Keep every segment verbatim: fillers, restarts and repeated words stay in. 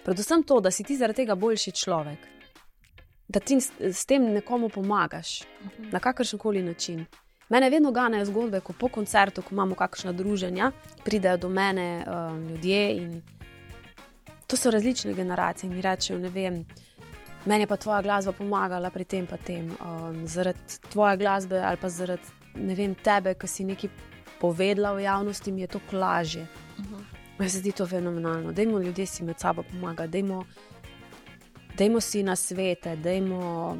Predvsem to, da si ti zaradi tega boljši človek. Da ti s, s tem nekomu pomagaš. Uh-huh. Na kakršenkoli način. Mene vedno ganejo zgodbe, ko po koncertu, ko imamo kakšna druženja, pridejo do mene um, ljudje in to so različne generacije. Mi rečejo, ne vem, meni je pa tvoja glasba pomagala pri tem pa tem. Um, zaradi tvoje glasbe ali pa zaradi, ne vem, tebe, ki si nekaj povedala v javnosti, mi je to lažje. Uh-huh. Meni se zdi to fenomenalno. Dajmo ljudje si med sabo pomagati, dajmo, dajmo si na svete, dajmo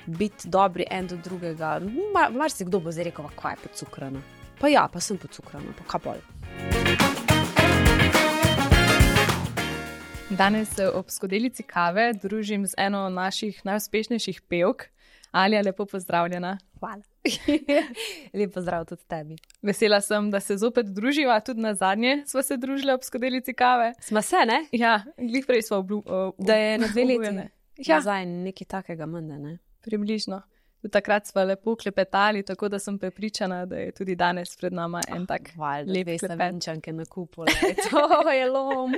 biti dobri en do drugega. Mar, mar si kdo bo zdaj rekel, kaj je podcukrana. Pa ja, pa sem podcukrana, pa kaj bolj. Danes se ob skodelici kave družim z eno naših najuspešnejših pevk. Alja, lepo pozdravljena. Hvala. Lep pozdrav tudi tebi. Vesela sem, da se zopet druživa, tudi na zadnje sva se družila ob skodelici kave. Sma se, ne? Ja, glih prej sva oblu... Ob, da je na dve leti. Ja. Nazaj nekaj takega mende, ne? Približno. Tudi takrat sva lepo klepetali, tako da sem prepričana, da je tudi danes pred nama en oh, tak valj, lep dve klepet. Savinčanke na kupu, to je lom.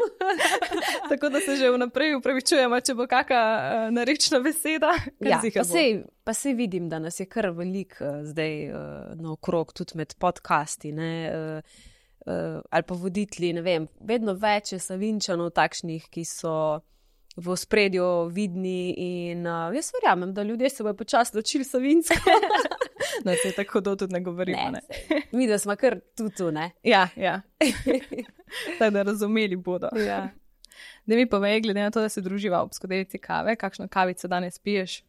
Tako da se že vnaprej upravičujemo, če bo kakšna uh, narečna beseda. Ja, pa sej, pa sej vidim, da nas je kar veliko uh, zdaj uh, naokrog, tudi med podcasti, ne, uh, uh, ali pa voditelji, ne vem, vedno več je Savinčanov takšnih, ki so v ospredju vidni in uh, jaz verjamem, da ljudje se bojo počasi ločili savinsko. Da se tako do tudi ne govorimo, ne. ne. Mi, da smo kar tutu, ne. Ja, ja. Tako da razumeli bodo. Ja. Da mi povej, glede na to, da se druživa ob skodelici kave, kakšno kavico danes piješ?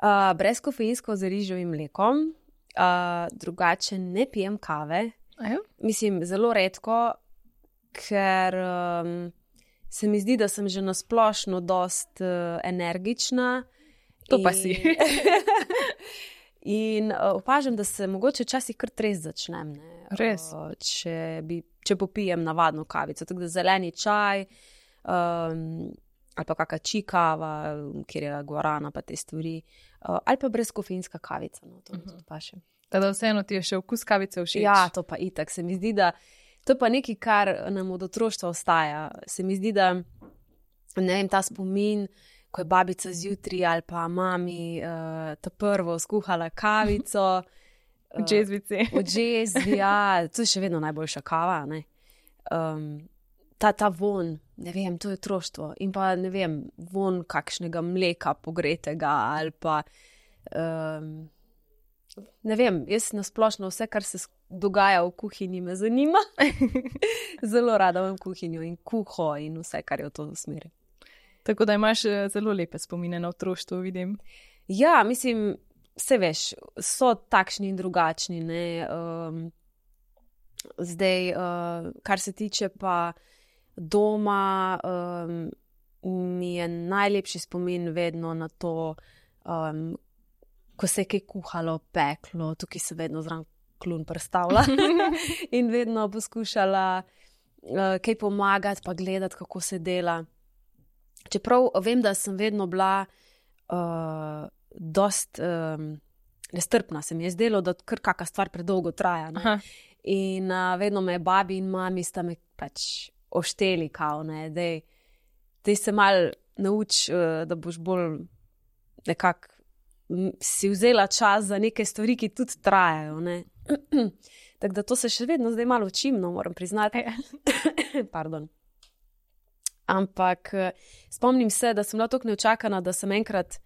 Uh, brez kofeinsko z riževim mlekom, uh, drugače ne pijem kave. Ajo? Mislim, zelo redko, ker um, se mi zdi, da sem že nasplošno dost uh, energična. To in... pa si. In uh, opažam, da se mogoče včasih kar trez začnem. Ne? Res? Uh, če, bi, če popijem navadno kavico. Tako da zeleni čaj, um, ali pa kakšna čikava, kjer je guarana, pa te stvari. Uh, ali pa brezkofeinska kavica. No, to uh-huh. tudi pa še. Teda vseeno ti je še okus kavice všeč? Ja, to pa itak. Se mi zdi, da to je pa nekaj, kar nam od otroštva ostaja. Se mi zdi, da ne vem, ta spomin, ko je babica zjutraj ali pa mami uh, ta prvo skuhala kavico. V džezvici. V džezvi, ja. To je še vedno najboljša kava, ne. Um, ta, ta von, ne vem, to je otroštvo. In pa, ne vem, von kakšnega mleka pogretega ali pa, um, ne vem, jaz nasplošno vse, kar se dogaja v kuhinji, me zanima. Zelo rada imam kuhinjo in kuho in vse, kar je v to smeri. Tako da imaš zelo lepe spomine na otroštvo, vidim. Ja, mislim, vse veš, so takšni in drugačni, ne. Um, zdaj, uh, kar se tiče pa doma, um, mi je najlepši spomin vedno na to, um, ko se je kaj kuhalo, peklo, tukaj se vedno zraven klun prstavila in vedno poskušala uh, kaj pomagati, pa gledati, kako se dela. Čeprav vem, da sem vedno bila uh, dost um, nestrpna, se mi je zdelo, da kar kakšna stvar predolgo traja. Ne? In uh, vedno me babi in mami sta me pač ošteli, kao, ne, dej, dej se mal nauč, uh, da boš bolj nekako si vzela čas za neke stvari, ki tudi trajajo, ne. Tako da to se še vedno zdaj malo učim, no, moram priznati. Pardon. Ampak spomnim se, da sem bila toliko neočakana, da sem enkrat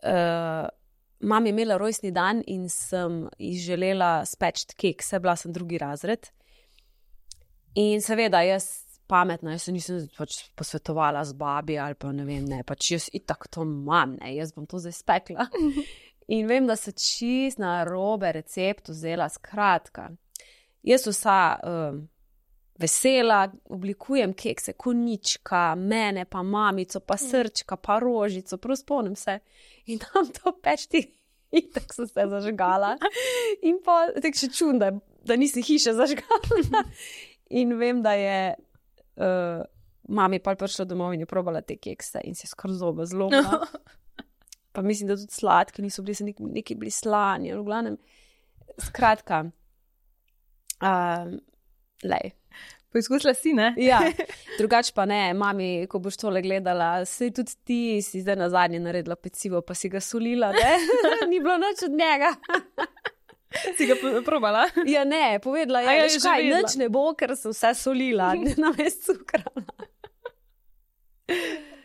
uh, mami imela rojstni dan in sem ji želela speči kek, se bila sem drugi razred. In seveda, jaz pametna, jaz se nisem pač posvetovala z babi ali pa ne vem, ne, pač jaz itak to imam, ne, jaz bom to zdaj spekla. In vem, da so čist na robe recept vzela, skratka. Jaz vsa um, vesela, oblikujem kekse, konička, mene pa mamico, pa srčka, pa rožico, prav spomnim se. In tam to pečti, itak so se zažgala. In pa tek še čudno, da, da nisem hiše zažgala. In vem, da je uh, mami pa prišla domov in je probala te kekse in se je skoro zoba zlomila. Pa mislim, da tudi sladki niso bili, se neki, neki bili slani, v glavnem. Skratka, uh, lej. Poizkusila si, ne? Ja, drugače pa ne, mami, ko boš tole gledala, sej tudi ti si zdaj na zadnje naredila pecivo, pa si ga solila, ne? Ni bilo nič od njega. Si ga probala? Ja, ne, povedala je, ja, kaj, nič ne bo, ker sem vse solila, na mestu cukrala.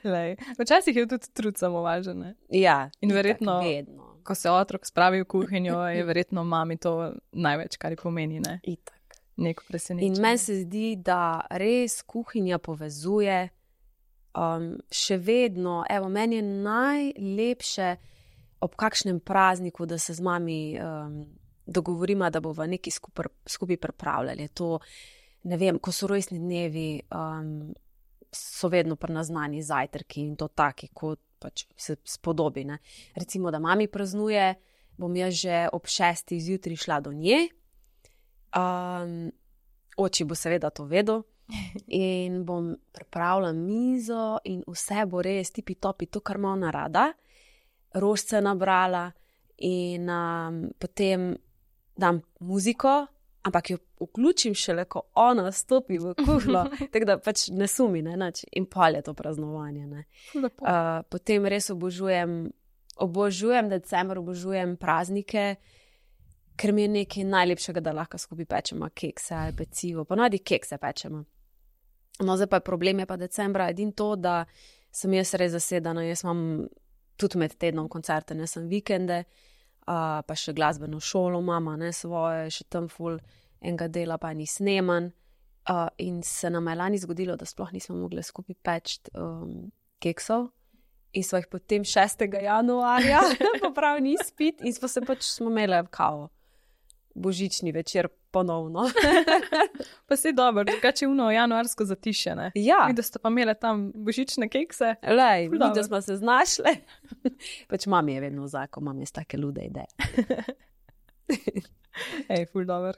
Lej, včasih je tudi trud samo važen, ne? Ja, in verjetno, vedno. Ko se otrok spravi v kuhinjo, je verjetno mami to največ, kar ji pomeni, ne? Itak. Neko presenečenje. In meni se zdi, da res kuhinja povezuje, um, še vedno, evo, meni je najlepše ob kakšnem prazniku, da se z mami um, dogovorimo, da bo v neki skupaj, skupaj pripravljali. To, ne vem, ko so rojstni dnevi, um, so vedno prenaznani zajtrki in to taki, kot pač se spodobi. Ne? Recimo, da mami praznuje, bom jaz že ob šestih zjutraj šla do nje. Um, oči bo seveda to vedel in bom pripravila mizo in vse bo res tipi topi, to, kar ima ona rada. Rožce nabrala in um, potem dam muziko, ampak jo vključim šele, ko ona stopi v kuhlo, tako da pač ne sumi, ne, nač, in pol je to praznovanje. Ne. Uh, potem res obožujem, obožujem december, obožujem praznike, ker mi je nekaj najlepšega, da lahko skupaj pečemo kekse ali pecivo, ponavadi kekse pečemo. No, zdaj pa je problem, je pa decembra edin to, da sem jaz res zasedena, jaz imam tudi med tednom koncerte, ne sem vikende, uh, pa še glasbeno šolo mama, ne svoje, še tam ful enega dela pa ni sneman. Uh, in se nam je lani zgodilo, da sploh nismo mogli skupaj peči um, keksov. In smo jih potem šestega januarja popravili izpit in smo se pač smo imeli kao božični večer ponovno. Pa si dobro, drugače uno januarsko zatišje, ne? Ja. Mi, da ste pa imeli tam božične kekse. Lej, mi, da smo se znašli. Pač mami je vedno vzako, mami je take lude ideje. Ej, ful dobro.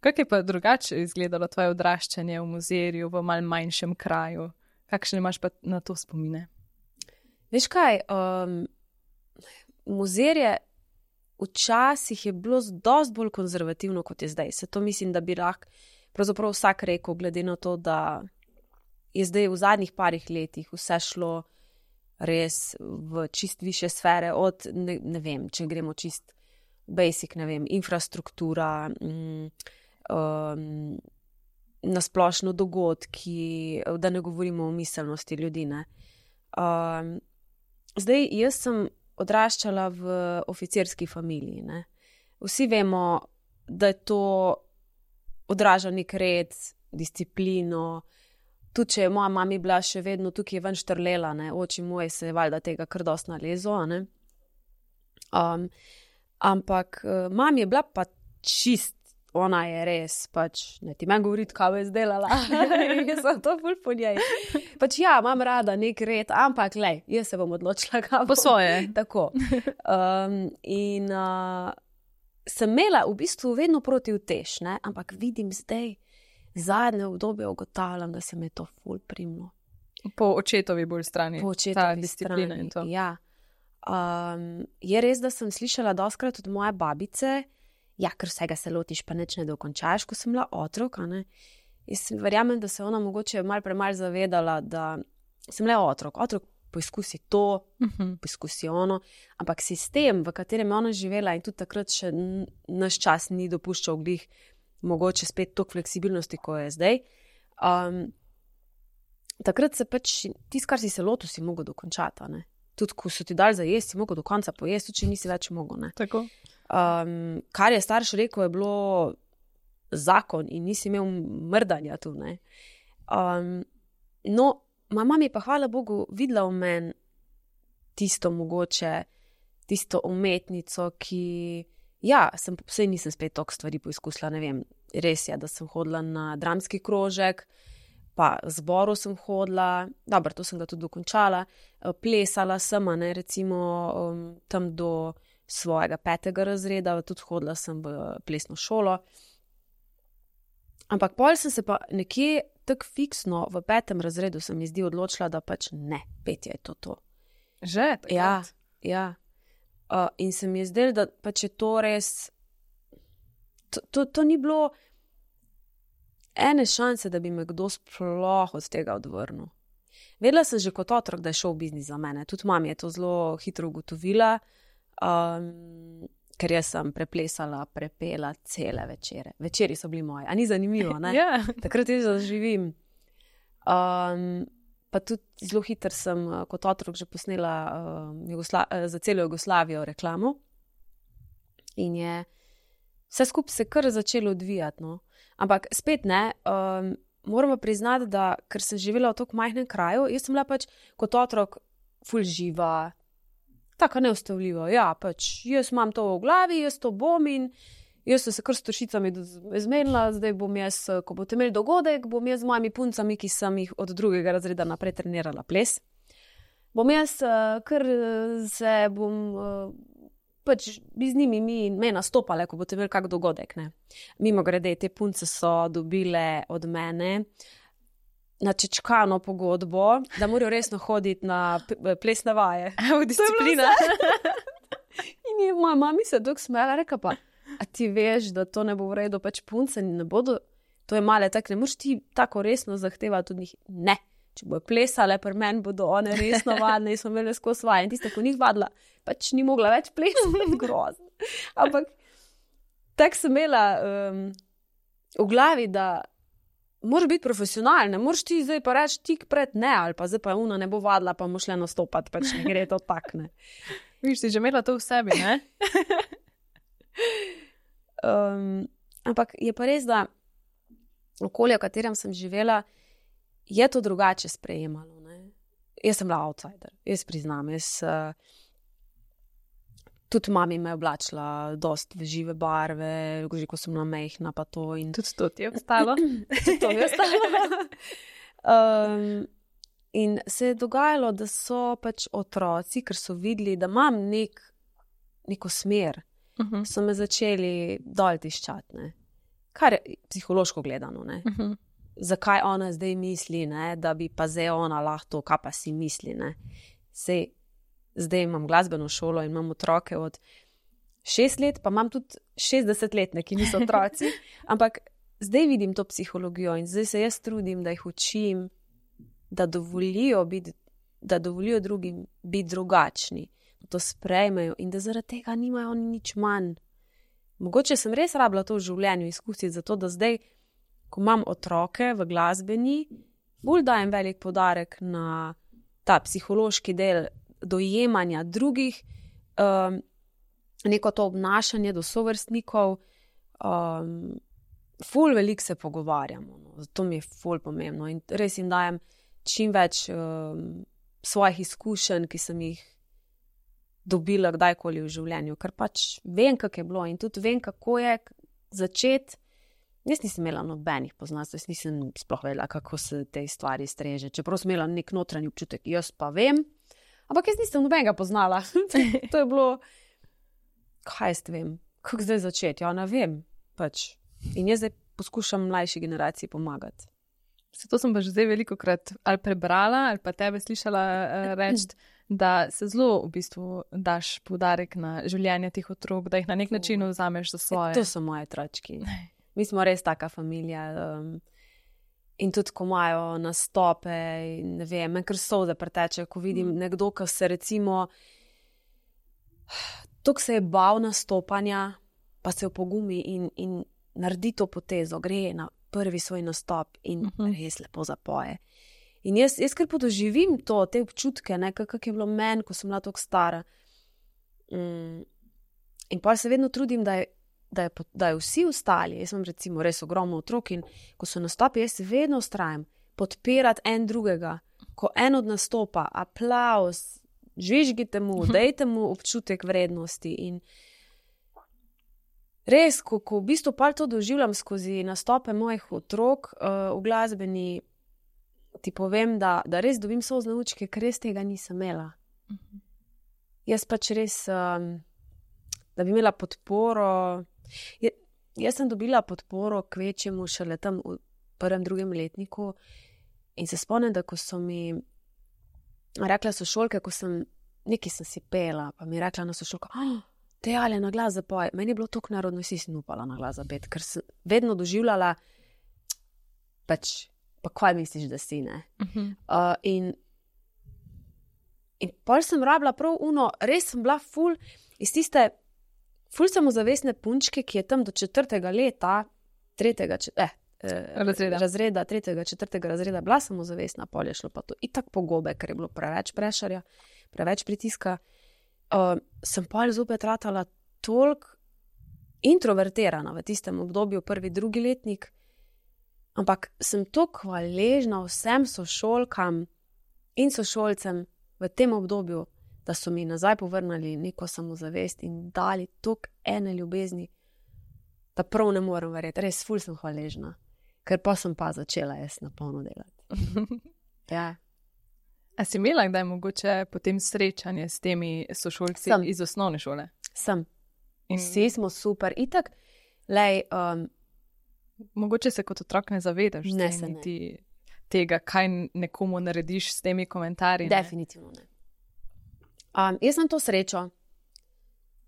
Kako je pa drugače izgledalo tvoje odraščanje v muzejju, v mal manjšem kraju? Kakšne imaš pa na to spomine? Veš kaj, um, muzejje včasih je bilo dosti bolj konzervativno, kot je zdaj. Se to mislim, da bi lahko pravzaprav vsak rekel, glede na to, da je zdaj v zadnjih parih letih vse šlo res v čist više sfere, od, ne, ne vem, če gremo čist basic, ne vem, infrastruktura, mm, um, nasplošno dogodki, da ne govorimo o miselnosti ljudi, ne. Um, zdaj, jaz sem odraščala v oficirski familiji, ne. Vsi vemo, da je to odraža nek red, disciplino, tudi če je moja mami bila še vedno tukaj ven štrlela, ne, oči moje se je valjda tega kar dosti nalezo, ne. Um, ampak uh, mami je bila pa čist, ona je res, pač, ne ti meni govoriti, kaj je izdelala, jaz sem to ful po njej. Pač ja, imam rada nek red, ampak lej, jaz se bom odločila, kaj po svoje. Tako. Um, in uh, sem imela v bistvu vedno proti utež, ne, ampak vidim zdaj, zadnje obdobje ugotavljam, da se mi je to ful primlo. Po očetovi bolj strani. Po očetovi strani, in to. Ja. Um, je res, da sem slišala doskrat od moje babice, ja, ker vsega se lotiš, pa nič ne dokončaš, ko sem bila otrok, a ne. Jaz verjamem, da se ona mogoče malo premalj zavedala, da sem le otrok. Otrok poizkusi to, uh-huh. poizkusi ono, ampak sistem, v katerem je ona živela in tudi takrat še naš čas ni dopuščal glih mogoče spet toliko fleksibilnosti, ko je zdaj. Um, takrat se pač, tisto, kar si se lotil, si mogel dokončati, ne. Tudi, ko so ti dali za jesti, si mogel do konca pojesti, tudi če nisi več mogel, ne. Tako. Um, kar je starš rekel, je bilo zakon in nisi imel mrdanja tu, ne. Um, no, moja mama je pa, hvala Bogu, videla v meni tisto mogoče, tisto umetnico, ki, ja, sem, sej nisem spet toliko stvari poizkusila, ne vem, res je, da sem hodila na dramski krožek, pa zboru sem hodila, dobro, to sem ga tudi dokončala, plesala sem, ne, recimo um, tam do svojega petega razreda, tudi hodila sem v plesno šolo. Ampak pol sem se pa nekje tako fiksno v petem razredu se mi zdi odločila, da pač ne, petje je to to. Že? Takrat? Ja, ja. Uh, in se mi je zdelo, da pač je to res, to, to, to ni bilo, ene šanse, da bi me kdo sploh od tega odvrnil. Vedela sem že kot otrok, da je šel biznis za mene. Tudi mama je to zelo hitro ugotovila, um, ker jaz sem preplesala, prepela cele večere. Večeri so bili moji, a ni zanimivo, ne? Ja. Takrat jaz zaživim. Um, pa tudi zelo hitro sem kot otrok že posnela uh, Jugosla- za celo Jugoslavijo reklamo in je vse skupaj se kar začelo odvijati, no. Ampak spet ne, um, moramo priznati, da ker sem živela v tako majhnem kraju, jaz sem bila pač kot otrok ful živa, tako neustavljiva. Ja, pač jaz imam to v glavi, jaz to bom in jaz sem se kar s toršicami zmenila, zdaj bom jaz, ko boste imeli dogodek, bom jaz z mojimi puncami, ki sem jih od drugega razreda naprej trenirala ples, bom jaz kar se bom pač bi z njimi mi, me nastopale, ko boste imeli kak dogodek, ne. Mimo grede, te punce so dobile od mene načečkano pogodbo, da morajo resno hoditi na plesne vaje. V disciplina. In je moja mami se dok smela, reka pa, a ti veš, da to ne bo v redu, pač punce ne bodo, to je male, tak ne moraš ti tako resno zahtevati od njih. Ne, če bojo plesale, pri meni bodo one resno vadne in smo imeli skozi vaje. In tiste, ko njih vadila, pač ni mogla več plesati, grozno. Ampak tak sem imela um, v glavi, da moraš biti profesionalen, ne moraš ti zdaj pa reči tik pred ne, ali pa zdaj pa una ne bo vadila, pa moš le nastopati, pač ne gre to tak, ne. Viš, si že imela to v sebi, ne? um, ampak je pa res, da okolje, v katerem sem živela, je to drugače sprejemalo, ne. Jaz sem bila outsider, jaz priznam, jaz uh, tudi mami me je oblačila dost v žive barve, že ko sem bila majhna pa to. In tudi to ti je ostalo. Tudi to mi je ostalo. um, in se je dogajalo, da so pač otroci, ker so videli, da imam nek, neko smer, uh-huh. so me začeli dol tiščati, ne. Kar je psihološko gledano, ne. Uh-huh. Zakaj ona zdaj misli, ne, da bi pa zdaj ona lahko, kaj pa si misli, ne. Sej, zdaj imam glasbeno šolo in imam otroke od šest let, pa imam tudi šestdesetletne, ki niso otroci, ampak zdaj vidim to psihologijo in zdaj se jaz trudim, da jih učim, da dovolijo biti, da dovolijo drugim biti drugačni, da to sprejmejo in da zaradi tega nimajo oni nič manj. Mogoče sem res rabila to v življenju izkusiti, zato da zdaj, ko imam otroke v glasbeni, bolj dajem velik poudarek na ta psihološki del dojemanja drugih, um, neko to obnašanje do sovrstnikov, um, ful veliko se pogovarjamo, no, zato mi je ful pomembno in res jim dajem čim več um, svojih izkušenj, ki sem jih dobila kdajkoli v življenju, ker pač vem, kako je bilo in tudi vem, kako je začeti. Jaz nisem imela nobenih poznanstv, jaz nisem sploh vedela, kako se te stvari streže, čeprav sem imela nek notranji občutek, jaz pa vem, ampak jaz nisem nobenega poznala. To je bilo, kaj jaz vem, kako zdaj začeti, ja ne vem, pač. In jaz zdaj poskušam mlajši generaciji pomagati. Zato sem pa že zdaj veliko krat ali prebrala, ali pa tebe slišala uh, reči, da se zelo v bistvu daš poudarek na življenje teh otrok, da jih na nek način vzameš za svoje. To so moje otročki. Mi smo res taka familija. Um, in tudi, ko imajo nastope, ne vem, me kar solze preteče, ko vidim nekdo, ki se recimo toliko se je bal nastopanja, pa se opogumi in, in naredi to potezo, gre na prvi svoj nastop in uh-huh. res lepo zapoje. In jaz, jaz kar podoživim to, te občutke, ne, kak je bilo meni, ko sem bila toliko stara. Mm. In pa se vedno trudim, da je, da, je, da je vsi ostali, jaz imam recimo res ogromno otrok in ko so nastopi, jaz vedno ustrajam podpirati en drugega. Ko en od nastopa, aplauz, žvižgite mu, dajte mu občutek vrednosti in res, ko, ko v bistvu pa to doživljam skozi nastope mojih otrok uh, v glasbeni, ti povem, da, da res dobim solzne lučke, ker res tega nisem imela. Uh-huh. Jaz pač res, um, da bi imela podporo, je, jaz sem dobila podporo k večjemu šele tam v prvem, drugem letniku in se spomnim, da ko so mi rekla sošolke, ko sem, nekaj sem si pela, pa mi je rekla na sošolko, oh, te ali na glas zapoj. Meni je bilo toliko narodno, si si upala na glas zapet, ker sem vedno doživljala, pač, pa kaj misliš, da si, ne? Uh-huh. Uh, in, in pol sem rabila prav uno, res sem bila ful, iz tiste, ful samozavestne punčke, ki je tam do četrtega leta, tretjega, eh, razreda. razreda, tretjega, četrtega razreda, bila samozavestna, pol je šlo pa to itak pogobe, ker je bilo preveč prešarja, preveč pritiska. Uh, sem pol zopet ratala toliko introvertirana v tistem obdobju, prvi, drugi letnik, ampak sem toliko hvaležna vsem sošolkam in sošolcem v tem obdobju, da so mi nazaj povrnili neko samozavest in dali toliko ene ljubezni, da prav ne morem verjeti. Res, ful sem hvaležna, ker pa sem pa začela jaz na polno delati. Ja. A si imela kdaj mogoče potem srečanje s temi sošolci Sem. iz osnovne šole? Sem. In Vsi smo super. Itak, lej, um, mogoče se kot otrok ne zavedaš Ne, zdaj se ne. niti tega, kaj nekomu narediš s temi komentarji. ne? definitivno ne. Um, jaz sem to srečo,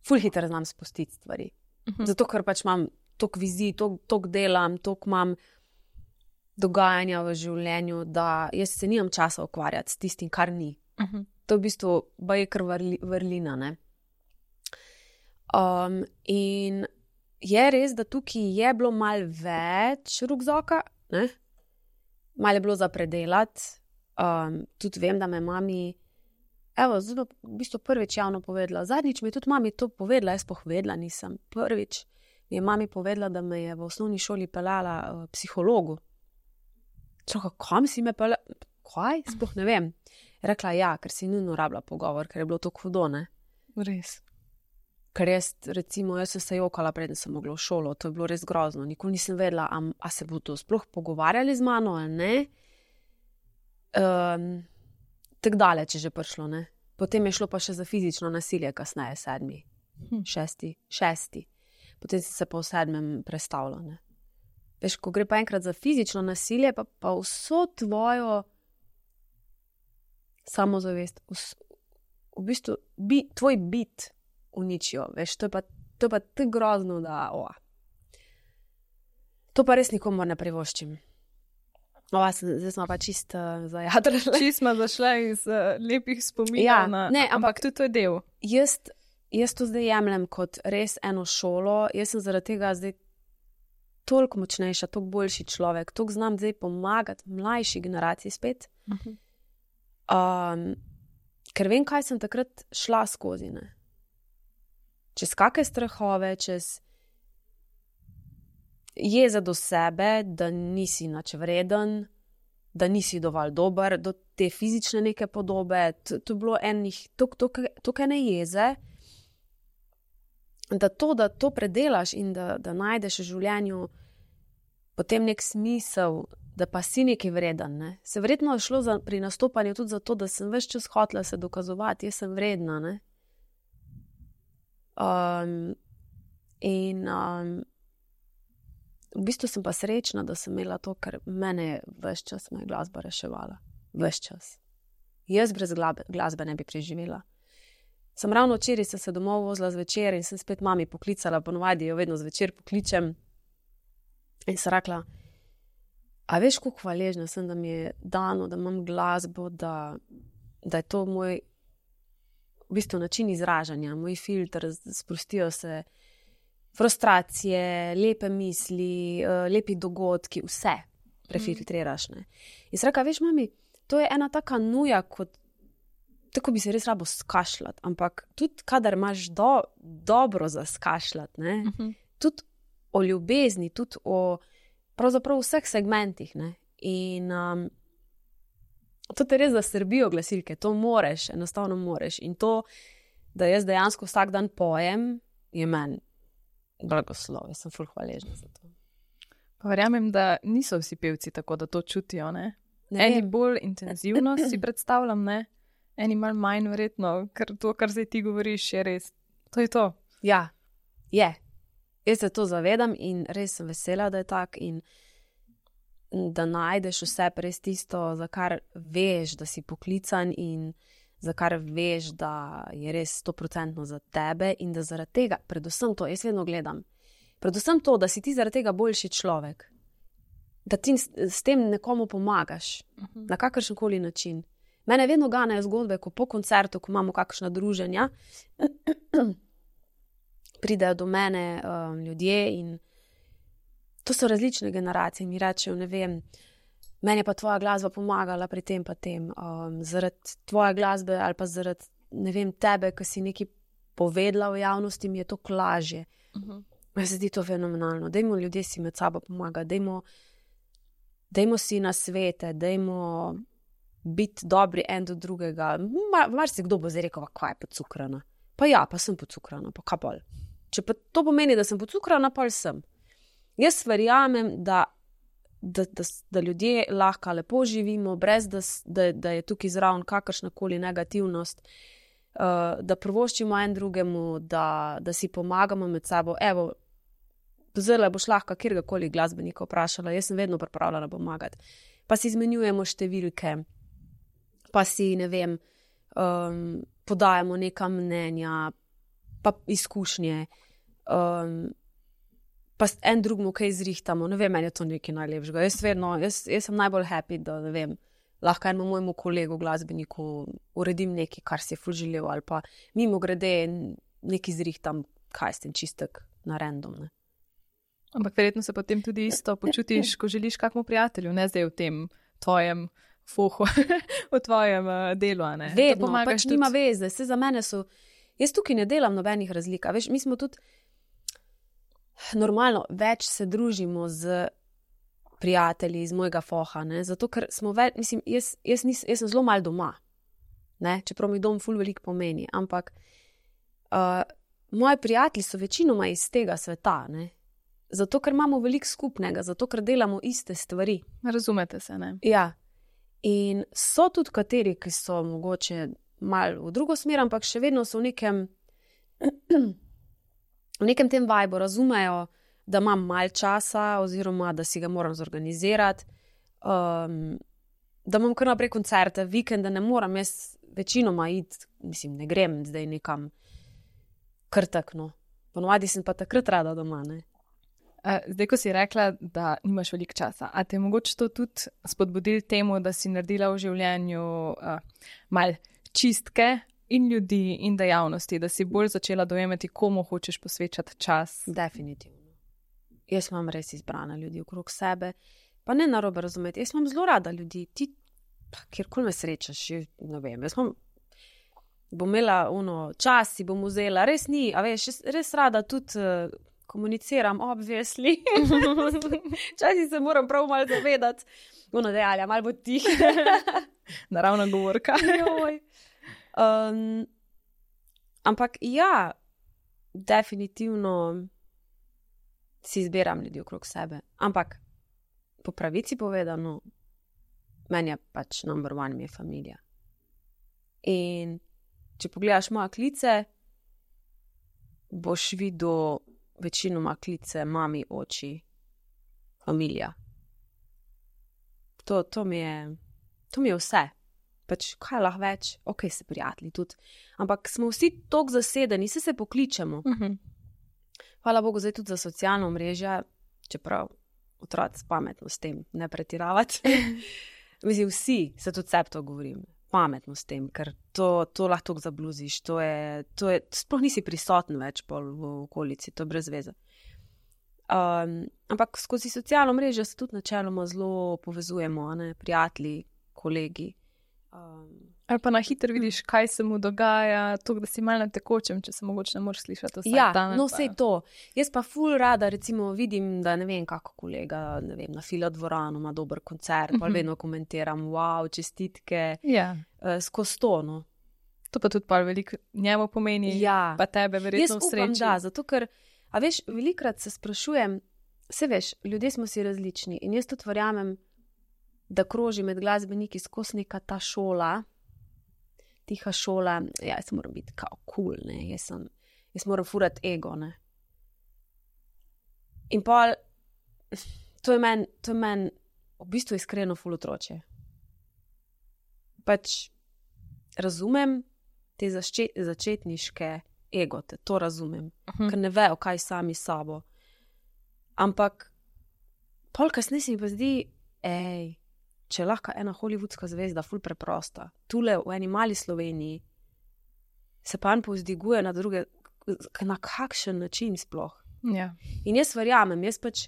ful hitro znam spustiti stvari. Mhm. Zato, ker pač imam toliko vizij, toliko, toliko delam, toliko imam dogajanja v življenju, da jaz se nimam časa ukvarjati s tistim, kar ni. Mhm. To je v bistvu baje kar vrli, vrlina, ne. Um, in je res, da tukaj je bilo malo več rukzaka, ne. Malo je bilo za predelati. Um, tudi vem, da me mami, evo, zelo v bistvu prvič javno povedala. Zadnjič mi je tudi mami to povedala, jaz povedala nisem. Prvič mi je mami povedala, da me je v osnovni šoli peljala uh, psihologu. Čaka, kam si me peljala? Kaj? Sploh ne vem. Je rekla, ja, ker si nujno rabila pogovor, ker je bilo to hudo, ne. Res. Ker jaz, recimo, jaz sem se jokala, preden sem mogla v šolo, to je bilo res grozno. Nikoli nisem vedela, a, a se bo to sploh pogovarjali z mano ali ne. Um, tako daleč je že prišlo, ne. Potem je šlo pa še za fizično nasilje, kasneje sedmi, Hm. šesti, šesti. Potem sem se pa v sedmem prestavila, ne. Veš, ko gre pa enkrat za fizično nasilje, pa, pa vso tvojo samozavest, vs, v bistvu bi, tvoj bit uničijo, veš, to je pa, to je pa tako grozno, da, o. To pa res nikomor ne privoščim. Ova, zdaj smo pa čist uh, zajadrali. Čisto smo zašle iz uh, lepih spominov, Ja, na, ne, ampak, ampak- ampak tudi to je del. Jaz, jaz to zdaj jemljem kot res eno šolo, jaz sem zaradi tega zdaj toliko močnejša, toliko boljši človek, toliko znam zdaj pomagati mlajši generaciji spet, Uh-huh. um, ker vem, kaj sem takrat šla skozi, ne. Čez kakšne strahove, čez jeze do sebe, da nisi nič vreden, da nisi dovolj dober, do te fizične neke podobe, to, to je bilo enih, toliko ene jeze, da to, da to predelaš in da, da najdeš v življenju potem nek smisel, da pa si nekaj vreden, ne. Se verjetno je šlo za, pri nastopanju tudi za to, da sem ves čas hotela se dokazovati, jaz sem vredna, ne. Um, in um, v bistvu sem pa srečna, da sem imela to, ker mene je ves čas me je glasba reševala. Ves čas. Jaz brez glasbe, glasbe ne bi preživela. Sem ravno včeraj sem se domov vozila zvečer in sem spet mami poklicala, ponovadi jo vedno zvečer pokličem in sem rekla, a veš, koliko hvaležna sem, da mi je dano, da imam glasbo, da, da je to moj v bistvu način izražanja, moj filter, sprostijo se frustracije, lepe misli, uh, lepi dogodki, vse prefiltriraš, ne. In sem rekla, veš, mami, to je ena taka nuja, kot tako bi se res rabo skašljati, ampak tudi kadar imaš do, dobro za skašljati, ne, Uh-huh. tudi o ljubezni, tudi o pravzaprav vseh segmentih, ne, in um, to te res zasrbijo glasilke, to moreš, enostavno moreš, in to, da jaz dejansko vsak dan pojem, je meni blagoslov, jaz sem ful hvaležna za to. Pa verjamem, da niso vsi pevci tako, da to čutijo, ne? Ne Eni vem. bolj intenzivno si predstavljam, ne? Eni malo manj verjetno, ker to, kar zdaj ti govoriš, je res. To je to. Ja, je. Jaz se to zavedam in res sem vesela, da je tak in da najdeš vse res tisto, za kar veš, da si poklican in za kar veš, da je res stoprocentno za tebe in da zaradi tega, predvsem to, jaz vedno gledam, predvsem to, da si ti zaradi tega boljši človek. da ti s, s tem nekomu pomagaš, uh-huh. na kakršen koli način. Mene vedno ganejo zgodbe, ko po koncertu, ko imamo kakšna druženja, pridejo do mene um, ljudje in to so različne generacije. Mi rečejo, ne vem, meni je pa tvoja glasba pomagala pri tem pa tem, um, zaradi tvoje glasbe ali pa zaradi, ne vem, tebe, ki si nekaj povedala v javnosti, mi je to lažje. Uh-huh. Meni se zdi to fenomenalno. Dajmo ljudje si med sabo pomagati, dajmo, dajmo si na svete, dajmo biti dobri en do drugega. Mar, mar si kdo bo zdaj rekel, kaj je pocukrana. Pa ja, pa sem pocukrana, pa kaj bolj. Če pa to pomeni, da sem pocukrana, pa sem. Jaz verjamem, da, da, da, da ljudje lahko lepo živimo, brez da, da, da je tukaj zraven kakršnakoli negativnost, uh, da prvoščimo en drugemu, da, da si pomagamo med sabo. Evo, zelo boš lahko kjerkoli glasbenika vprašala, jaz sem vedno pripravljena pomagati. Pa si izmenjujemo številke, pa si, ne vem, um, podajamo neka mnenja, pa izkušnje, um, pa en drugmu kaj zrihtamo, ne vem, meni je to nekaj najlepšega. Jaz vedno, jaz, jaz sem najbolj happy, da, ne vem, lahko enemu mojemu kolegu, glasbeniku uredim nekaj, kar si je ful želel, ali pa mimo grede nekaj zrihtam, kaj s tem čistek na random, ne. Ampak verjetno se potem tudi isto počutiš, ko želiš kakmu prijatelju, ne zdaj v tem tvojem fohu, v tvojem uh, delu, a ne. Vedno, pač tudi... nima veze, se za mene so, jaz tukaj ne delam nobenih razlika, veš, mi smo tudi normalno, več se družimo z prijatelji iz mojega foha, ne, zato ker smo več, mislim, jaz, jaz, nis, jaz sem zelo malo doma, ne, čeprav mi dom ful veliko pomeni, ampak uh, moji prijatelji so večinoma iz tega sveta, ne, zato ker imamo veliko skupnega, zato ker delamo iste stvari. Razumete se, ne? Ja, in so tudi kateri, ki so mogoče malo v drugo smer, ampak še vedno so v nekem v nekem tem vibu, razumejo, da imam malo časa oziroma, da si ga moram zorganizirati, um, da imam kar naprej koncerte, vikende ne moram, jaz večinoma iti, mislim, ne grem zdaj nekam kar takno. Ponovadi sem pa takrat rada doma, ne. Zdaj, ko si rekla, da nimaš veliko časa, a te je mogoče to tudi spodbudil temu, da si naredila v življenju uh, malo čistke in ljudi in dejavnosti, da si bolj začela dojemati, komu hočeš posvečati čas? Definitivno. Jaz imam res izbrane ljudi okrog sebe, pa ne narobe razumeti, jaz imam zelo rada ljudi, ti, kjerkoli me srečaš, ne vem, jaz imam, bom imela ono, čas si bom vzela, res ni, a veš, res rada tudi uh, komuniciram, obvesli. Včasih se moram prav malo zavedati, ono dejalja, malo bo tih. Naravna govorka. Joj. Um, ampak ja, definitivno si izbiram ljudi okrog sebe. Ampak po pravici povedano, meni je pač number one mi je familija. In če pogledaš moje klice, boš videl večinoma klice mami, oči, familija. To, to mi je, to mi je vse. Pač, kaj lahko več, ok, se prijatelji tudi, ampak smo vsi toliko zasedeni, se se pokličemo. Uh-huh. Hvala Bogu zdaj tudi za socialno mrežje, čeprav otroci pametno s tem, ne pretiravati. Mislim, vsi se tudi sebi to govorim, pametno s tem, ker to, to lahko toliko zabluziš, to je, to je, sploh nisi prisoten več pol v okolici, to je brez veze. Um, ampak skozi socialno mrežje se tudi načeloma zelo povezujemo, ne, prijatelji, kolegi. Um, Ali pa na hitro vidiš, kaj se mu dogaja, to, da si malo na tekočem, če se mogoče ne moreš slišati vsak ja, dan. Ja, no vse to. Jaz pa ful rada, recimo, vidim, da ne vem, kako kolega, ne vem, na Fila dvoranu ima dober koncert, uh-huh. pa vedno komentiram, wow, čestitke, ja. uh, skozi to, no. To pa tudi pa veliko njemu pomeni, ja. Pa tebe verjetno v sreči. Jaz upam, da, zato ker, a veš, velikrat se sprašujem, se veš, ljudje smo si različni in jaz tudi verjamem, da kroži med glasbeniki skozi neka ta šola, tiha šola, ja, jaz moram biti kao cool, ne, jaz, sem, jaz moram furati ego, ne. In pol, to je meni, to je meni v bistvu iskreno ful otroče. Pač razumem te zaščet, začetniške egote, to razumem, uh-huh. ker ne vejo, kaj sami sabo. Ampak pol kasneje se mi pa zdi, ej, če je lahko ena hollywoodska zvezda ful preprosta, tule v eni mali Sloveniji, se pa on povzdiguje na druge, na kakšen način sploh. Ja. In jaz verjamem, jaz pač,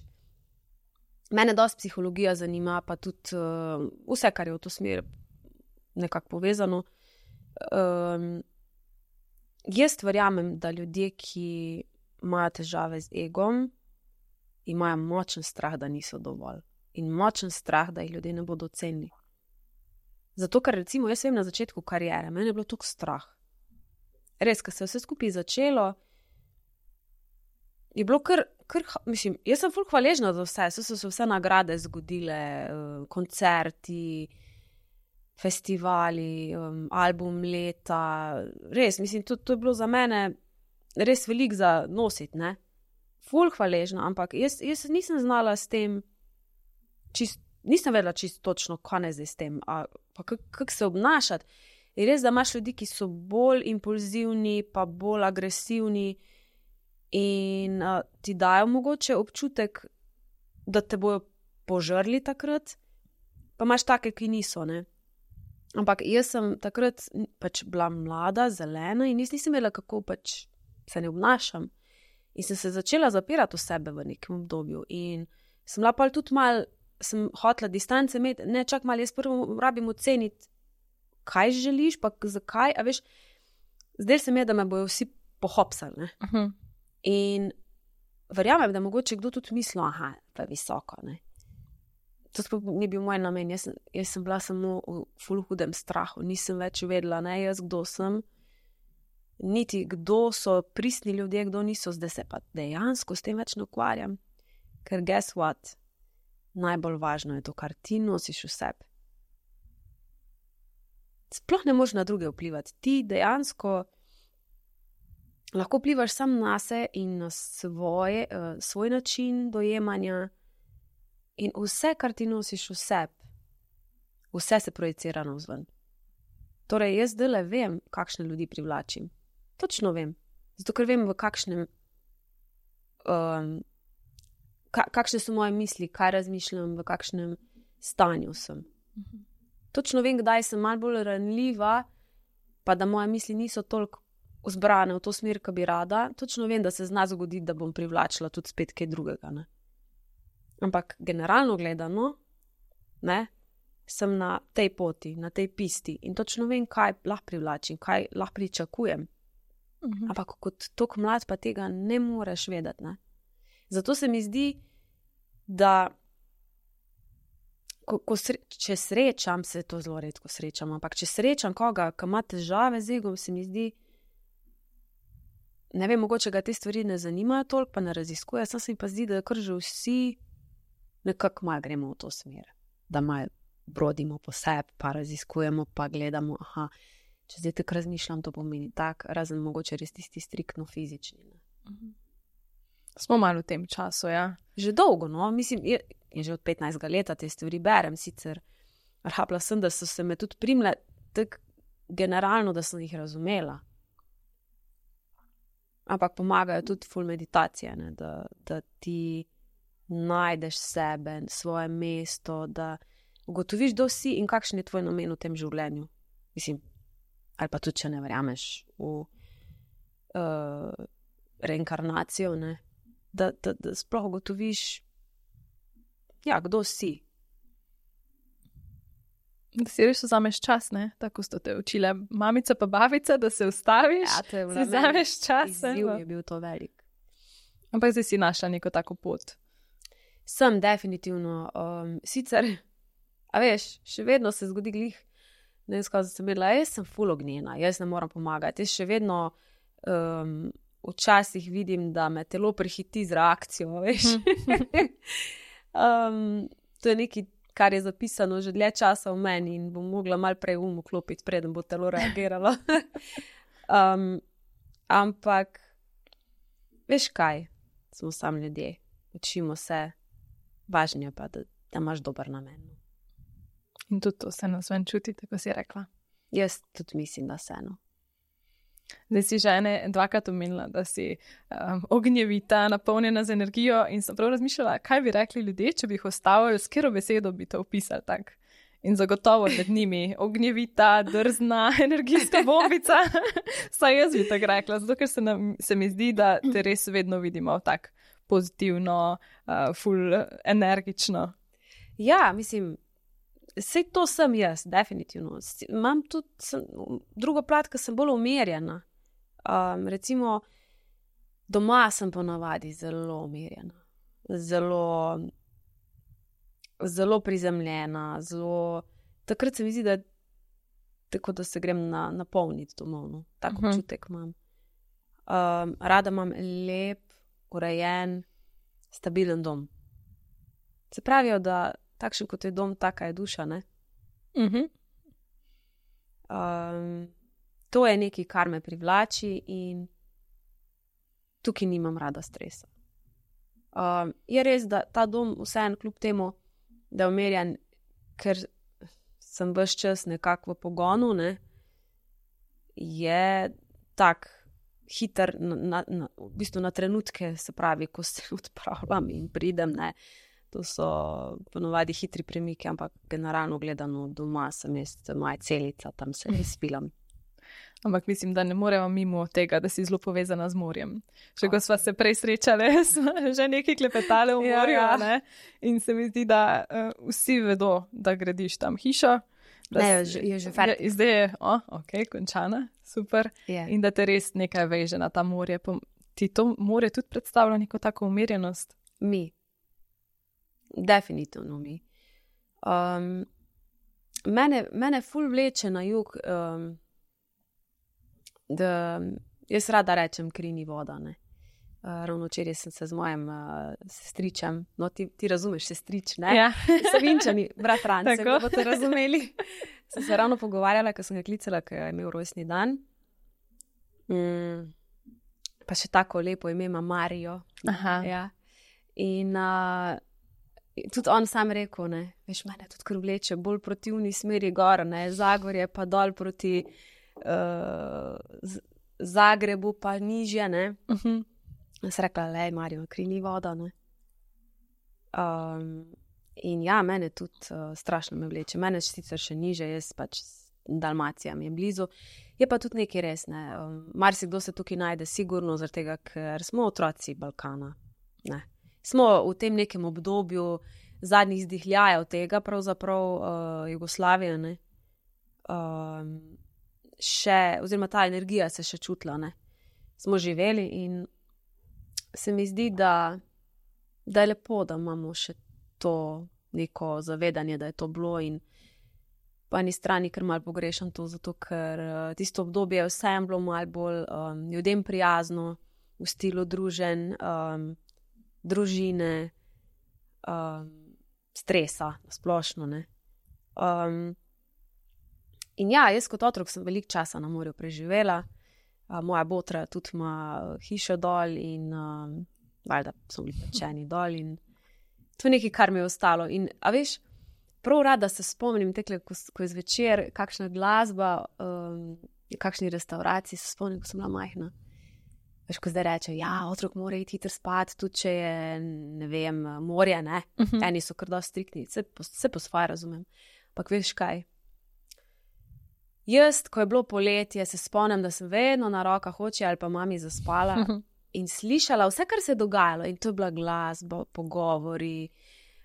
mene dosti psihologija zanima, pa tudi uh, vse, kar je v to smer nekako povezano. Um, jaz verjamem, da ljudje, ki imajo težave z egom, imajo močen strah, da niso dovolj. In močen strah, da jih ljudje ne bodo ocenili. Zato, ker recimo, jaz vem na začetku kariere, meni je bilo toliko strah. Res, ko se je vse skupaj začelo, je bilo kar, kar mislim, jaz sem ful hvaležna za vse, so se vse nagrade zgodile, koncerti, festivali, um, album leta, res, mislim, to, to je bilo za mene res veliko za nositi, ne? Ful hvaležna, ampak jaz, jaz nisem znala s tem, čist, nisem vedela čisto točno, kaj ne zdaj s tem, a, pa kako se obnašati. Je res, da imaš ljudi, ki so bolj impulzivni, pa bolj agresivni in a, ti dajo mogoče občutek, da te bojo požrli takrat, pa imaš take, ki niso, ne? Ampak jaz sem takrat pač bila mlada, zelena in jaz nisem vedela, kako pač se ne obnašam. In sem se začela zapirati v sebe v nekem obdobju. In sem bila pa tudi mal, sem hotela distance imeti, ne čak mal, jaz prvo rabim oceniti, kaj želiš, pa zakaj, a veš, zdaj se mi je, da me bojo vsi pohopsali, ne. Uh-huh. In verjamem, da mogoče kdo tudi misli, aha, pa je visoko, ne. To sploh ni bil moj namen, jaz, jaz sem bila samo v ful hudem strahu, nisem več vedela, ne, jaz kdo sem, niti kdo so pristni ljudje, kdo niso, zdaj se pa dejansko s tem več ne ukvarjam, ker guess what, najbolj važno je to, kar ti nosiš v sebi. Sploh ne moš na druge vplivati, ti dejansko lahko vplivaš sam nase in na svoje, uh, svoj način dojemanja. In vse, kar ti nosiš v sebi, vse se projicira navzven. Torej, jaz zdajle vem, kakšne ljudi privlačim. Točno vem. Zato, ker vem, v kakšnem, um, ka, kakšne so moje misli, kaj razmišljam, v kakšnem stanju sem. Mhm. Točno vem, kdaj sem malo bolj ranljiva, pa da moje misli niso toliko vzbrane v to smer, ko bi rada. Točno vem, da se zna zgoditi, da bom privlačila tudi spet kaj drugega, ne. Ampak generalno gledano, ne, sem na tej poti, na tej pisti in točno vem, kaj lahko privlačim, kaj lahko pričakujem. Uh-huh. Ampak kot tok mlad pa tega ne moreš vedeti, ne. Zato se mi zdi, da ko, ko sre, če srečam, se to zelo redko srečam, ampak če srečam koga, ki ima težave z egom, se mi zdi, ne vem, mogoče ga te stvari ne zanimajo toliko, pa ne raziskuje, sam se mi pa zdi, da kar že vsi nekako malo gremo v to smer, da malo brodimo po sebi, pa raziskujemo, pa gledamo, aha, če zdaj tako razmišljam, to pomeni tak, razen mogoče res tisti striktno fizični. Ne? Uh-huh. Smo malo v tem času, ja. Že dolgo, no, mislim, je, je že od petnajstega leta te stvari berem, sicer rahapla sem, da so se me tudi primle tako generalno, da sem jih razumela. Ampak pomagajo tudi ful meditacije, ne, da, da ti najdeš sebe, svoje mesto, da ugotoviš, kdo si in kakšen je tvoj namen v tem življenju. Mislim, ali pa tudi, če ne verjameš v uh, reinkarnacijo, ne, da, da, da sploh ugotoviš, ja, kdo si. Da si res vzameš čas, ne? Tako so te učile mamica pa babica, da se ustaviš, ja, to je si vzameš čas. Izziv je bil to velik. Ampak zdaj si našla neko tako pot. Sem definitivno. Um, sicer, a veš, še vedno se zgodi glih, ne vem, skaz sem vedela, jaz sem ful ognjena, jaz ne moram pomagati. Jaz še vedno um, včasih vidim, da me telo prehiti z reakcijo, veš. um, to je nekaj, kar je zapisano že dlje časa v meni in bom mogla malo prej um vklopiti, preden bo telo reagiralo. um, ampak, veš kaj, smo sam ljudje, učimo se, važno je pa, da, da imaš dober namen. In tudi to se nas ven čuti, tako si rekla. Jaz tudi mislim, da se, no. Zdaj si žene dvakrat omenila, da si um, ognjevita, napolnjena z energijo in sem prav razmišljala, kaj bi rekli ljudje, če bi jih ostavili, s katero besedo bi to opisali tak. In zagotovo med njimi ognjevita, drzna, energijska bombica. Saj jaz bi tako rekla, zato ker se, nam, se mi zdi, da te res vedno vidimo tak pozitivno, uh, ful energično. Ja, mislim, vse to sem jaz, definitivno. Imam tudi sem, drugo plat, ker sem bolj umirjena. Um, recimo, doma sem ponavadi zelo umirjena, zelo, zelo prizemljena, zelo... Takrat se mi zdi, da tako, da se grem na, napolniti domov, no. Tako uh-huh. občutek imam. Um, rada imam lep, urejen, stabilen dom. Se pravijo, da takšen kot je dom, taka je duša, ne? Uh-huh. Um, to je nekaj, kar me privlači in tukaj nimam rada stresa. Um, je res, da ta dom vseeno kljub temu, da je umirjen, ker sem ves čas nekako v pogonu, ne? Je tak hiter, na, na, na, v bistvu na trenutke, se pravi, ko se odpravljam in pridem, ne? To so ponovadi hitri premiki, ampak generalno gledano doma sem jaz, moja celica, tam se res spilam. Ampak mislim, da ne moremo mimo tega, da si zelo povezana z morjem. Še ko sva se prej srečali, smo že nekaj klepetali v morju, ja, ja. Ne? In se mi zdi, da uh, vsi vedo, da gradiš tam hišo. Da ne, si, je že fer. Zdaj je, o, ok, končana, super. Yeah. In da te res nekaj veže na ta morje. Ti to morje tudi predstavlja neko tako umirjenost? Mi. Definitivno mi. Um, mene, mene ful vleče na jug, um, da jaz rada rečem kri ni voda, ne. Uh, ravno včeraj sem se z mojim uh, sestričem, no ti, ti razumeš sestrič, ne? Ja. Savinčani, bratranci, da boste razumeli. Sem se ravno pogovarjala, ko sem ga klicala, ko je imel rojstni dan. Mm, pa še tako lepo ime ima Marijo. Aha. Ja. In uh, tudi on sam rekel, ne, veš, mene tudi kar vleče bolj proti uni smeri gor, ne, Zagorje pa dol proti uh, z, Zagrebu pa nižje, ne. Uh-huh. Sem rekla, lej, Marijo, kri ni voda, ne. Um, in ja, mene tudi uh, strašno me vleče. Mene sicer še niže, jaz pač Dalmacija mi je blizu. Je pa tudi nekaj res, ne. Um, marsikdo se tukaj najde sigurno, zaradi tega, ker smo otroci Balkana, ne. Smo v tem nekem obdobju zadnjih izdihljajev tega, pravzaprav uh, Jugoslavije, ne. Um, še, oziroma ta energija se še čutila, ne. Smo živeli in se mi zdi, da, da je lepo, da imamo še to neko zavedanje, da je to bilo in po eni strani, ker malo pogrešam to, zato ker uh, tisto obdobje je vsem bilo malo bolj um, ljudem prijazno, v stilu družen, um, družine, um, stresa, splošno, ne. Um, in ja, jaz kot otrok sem veliko časa na morju preživela, uh, moja botra tudi ima hišo dol in um, valjda so bili pečeni dol in to je nekaj, kar mi je ostalo. In, a veš, prav rada se spomnim tekle, ko, ko je zvečer, kakšna glasba, um, kakšni restauraciji, se spomnim, ko sem bila majhna. Veš, ko zdaj reče, ja, otrok mora iti hitro spat, tudi če je, ne vem, morje, ne. Uh-huh. Eni so kar dosti striktni, se po, se po svoje razumem. Ampak veš kaj? Jaz, ko je bilo poletje, se spomnim, da sem vedno na rokah oči ali pa mami zaspala uh-huh. in slišala vse, kar se je dogajalo. In to je bila glasba, pogovori,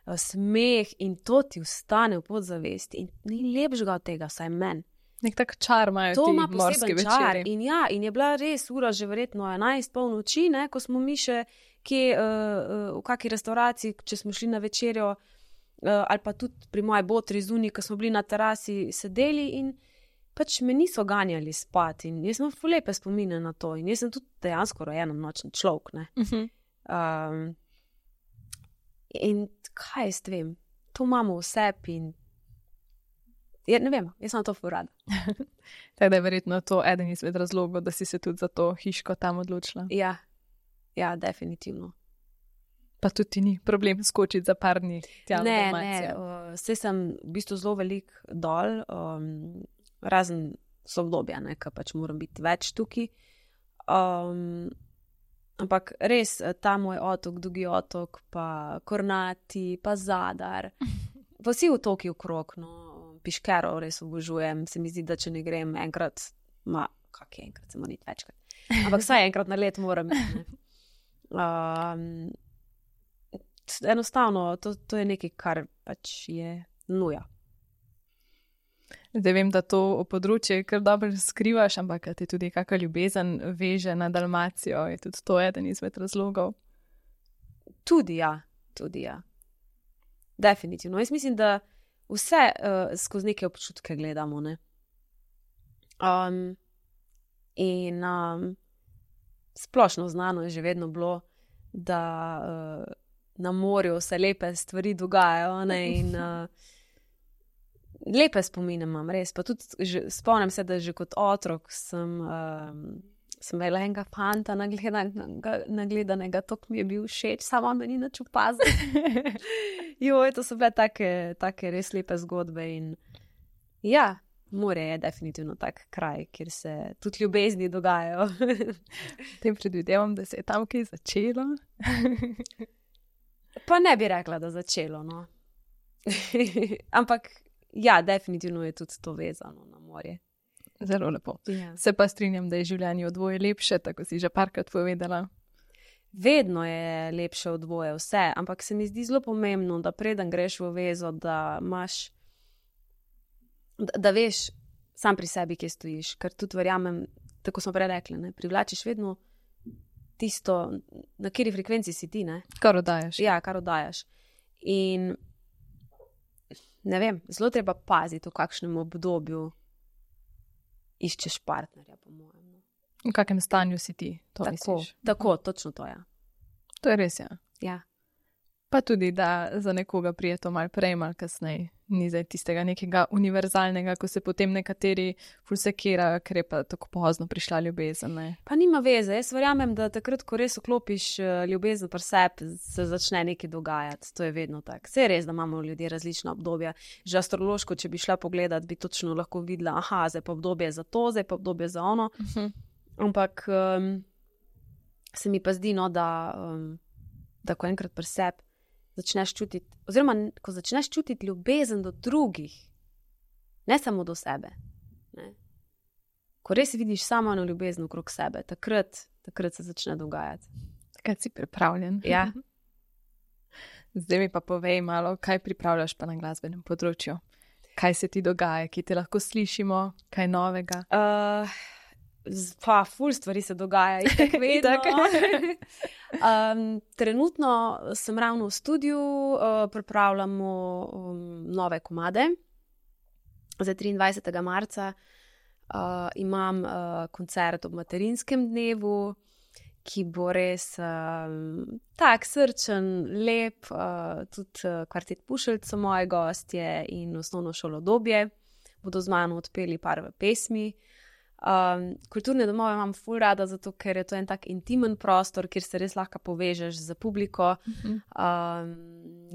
smeh in to ti vstane v podzavesti. In ni lepšega od tega, vsaj meni. Nek tak čar imajo to ti ima morski poseben čar. večeri. In ja, in je bila res ura že verjetno enajst pol noči, ne, ko smo mi še kje, uh, uh, v kakej restauraciji, če smo šli na večerjo, uh, ali pa tudi pri moji botri zunaj, ko smo bili na terasi sedeli in pač me niso ganjali spat. In jaz sem ful lepe spomine na to. In jaz sem tudi dejansko rojena nočni človek, ne. Uh-huh. Um, in kaj jaz vem, to imamo v sebi in je, ne vem, jaz sem to ful rada. Tako da je verjetno to eden izmed razlogov, da si se tudi za to hiško tam odločila. Ja, ja, definitivno. Pa tudi ti ni problem skočiti za par dni tja v Ne, Dalmacijo. ne, uh, saj sem v bistvu zelo velik dol, um, razen so obdobja, ne, ki pač moram biti več tukaj. Um, ampak res, ta moj otok, Dugi otok, pa Kornati, pa Zadar, pa vsi otoki okrog, no, Piškero res obožujem, se mi zdi, da če ne grem enkrat, ma, kak je enkrat, se moram iti večkrat, ampak vsaj enkrat na let moram iti, ne. Um, enostavno, to, to je nekaj, kar pač je nuja. Zdaj vem, da to področje kar dobro skrivaš, ampak ti tudi kakšna ljubezen veže na Dalmacijo, je tudi to eden izmed razlogov? Tudi ja, tudi ja. Definitivno. Jaz mislim, da vse uh, skozi neke občutke gledamo, ne. Um, in um, splošno znano je že vedno bilo, da uh, na morju se lepe stvari dogajajo, ne, in uh, lepe spomine imam, res. Pa tudi že, spomnim se, da že kot otrok sem, um, sem imela enega fanta nagledanega, nagledanega, tok mi je bil všeč, samo on me ni nič opazil. Joj, to so bile take, take res lepe zgodbe in ja, more je definitivno tak kraj, kjer se tudi ljubezni dogajajo. Tem predvidevam, da se je tam kaj začelo. Pa ne bi rekla, da začelo, no. Ampak ja, definitivno je tudi to vezano na morje. Zelo lepo. Ja. Se pa strinjam, da je življenje v dvoje lepše, tako si že parkrat povedala. Vedno je lepše v dvoje vse, ampak se mi zdi zelo pomembno, da preden greš v vezo, da imaš, da, da veš sam pri sebi, kje stojiš, ker tudi verjamem, tako smo prej rekli, ne, privlačiš vedno tisto, na kateri frekvenci si ti, ne? Kar oddajaš. Ja, kar oddajaš. In ne vem, zelo treba paziti, v kakšnem obdobju iščeš partnerja, po mojem. V kakem stanju si ti, to tako, misliš? Tako, točno to, ja. To je res, ja. Ja. Pa tudi, da za nekoga prije to malo prej, malo kasneje. Ni zdaj tistega nekega univerzalnega, ko se potem nekateri ful sekirajo, ker je pa tako pozno prišla ljubezen. Ne? Pa nima veze. Jaz verjamem, da takrat, ko res vklopiš ljubezen pri sebi, se začne nekaj dogajati. To je vedno tako. Saj je res, da imamo ljudje različna obdobja. Že astrološko, če bi šla pogledat, bi točno lahko videla, aha, zdaj pa obdobje za to, zdaj pa obdobje za ono. Uh-huh. Ampak um, se mi pa zdi, no, da, um, da ko enkrat pri sebi začneš čutiti, oziroma ko začneš čutiti ljubezen do drugih, ne samo do sebe, ne? Ko res vidiš samo eno ljubezen okrog sebe, takrat, takrat se začne dogajati. Takrat si pripravljen. Ja. Zdaj mi pa povej malo, kaj pripravljaš pa na glasbenem področju. Kaj se ti dogaja, ki te lahko slišimo, kaj novega? Uh, pa ful stvari se dogaja, itak vedno. um, trenutno sem ravno v studiu, uh, pripravljamo um, nove komade. Za triindvajsetega marca uh, imam uh, koncert ob materinskem dnevu, ki bo res um, tak srčen, lep, uh, tudi uh, kvartet Pušelj so moji gostje in osnovno šolo Dobje bodo z mano odpeli par pesmi. Um, kulturne domove imam ful rada, zato ker je to en tak intimen prostor, kjer se res lahko povežeš z publiko. Uh-huh. Um,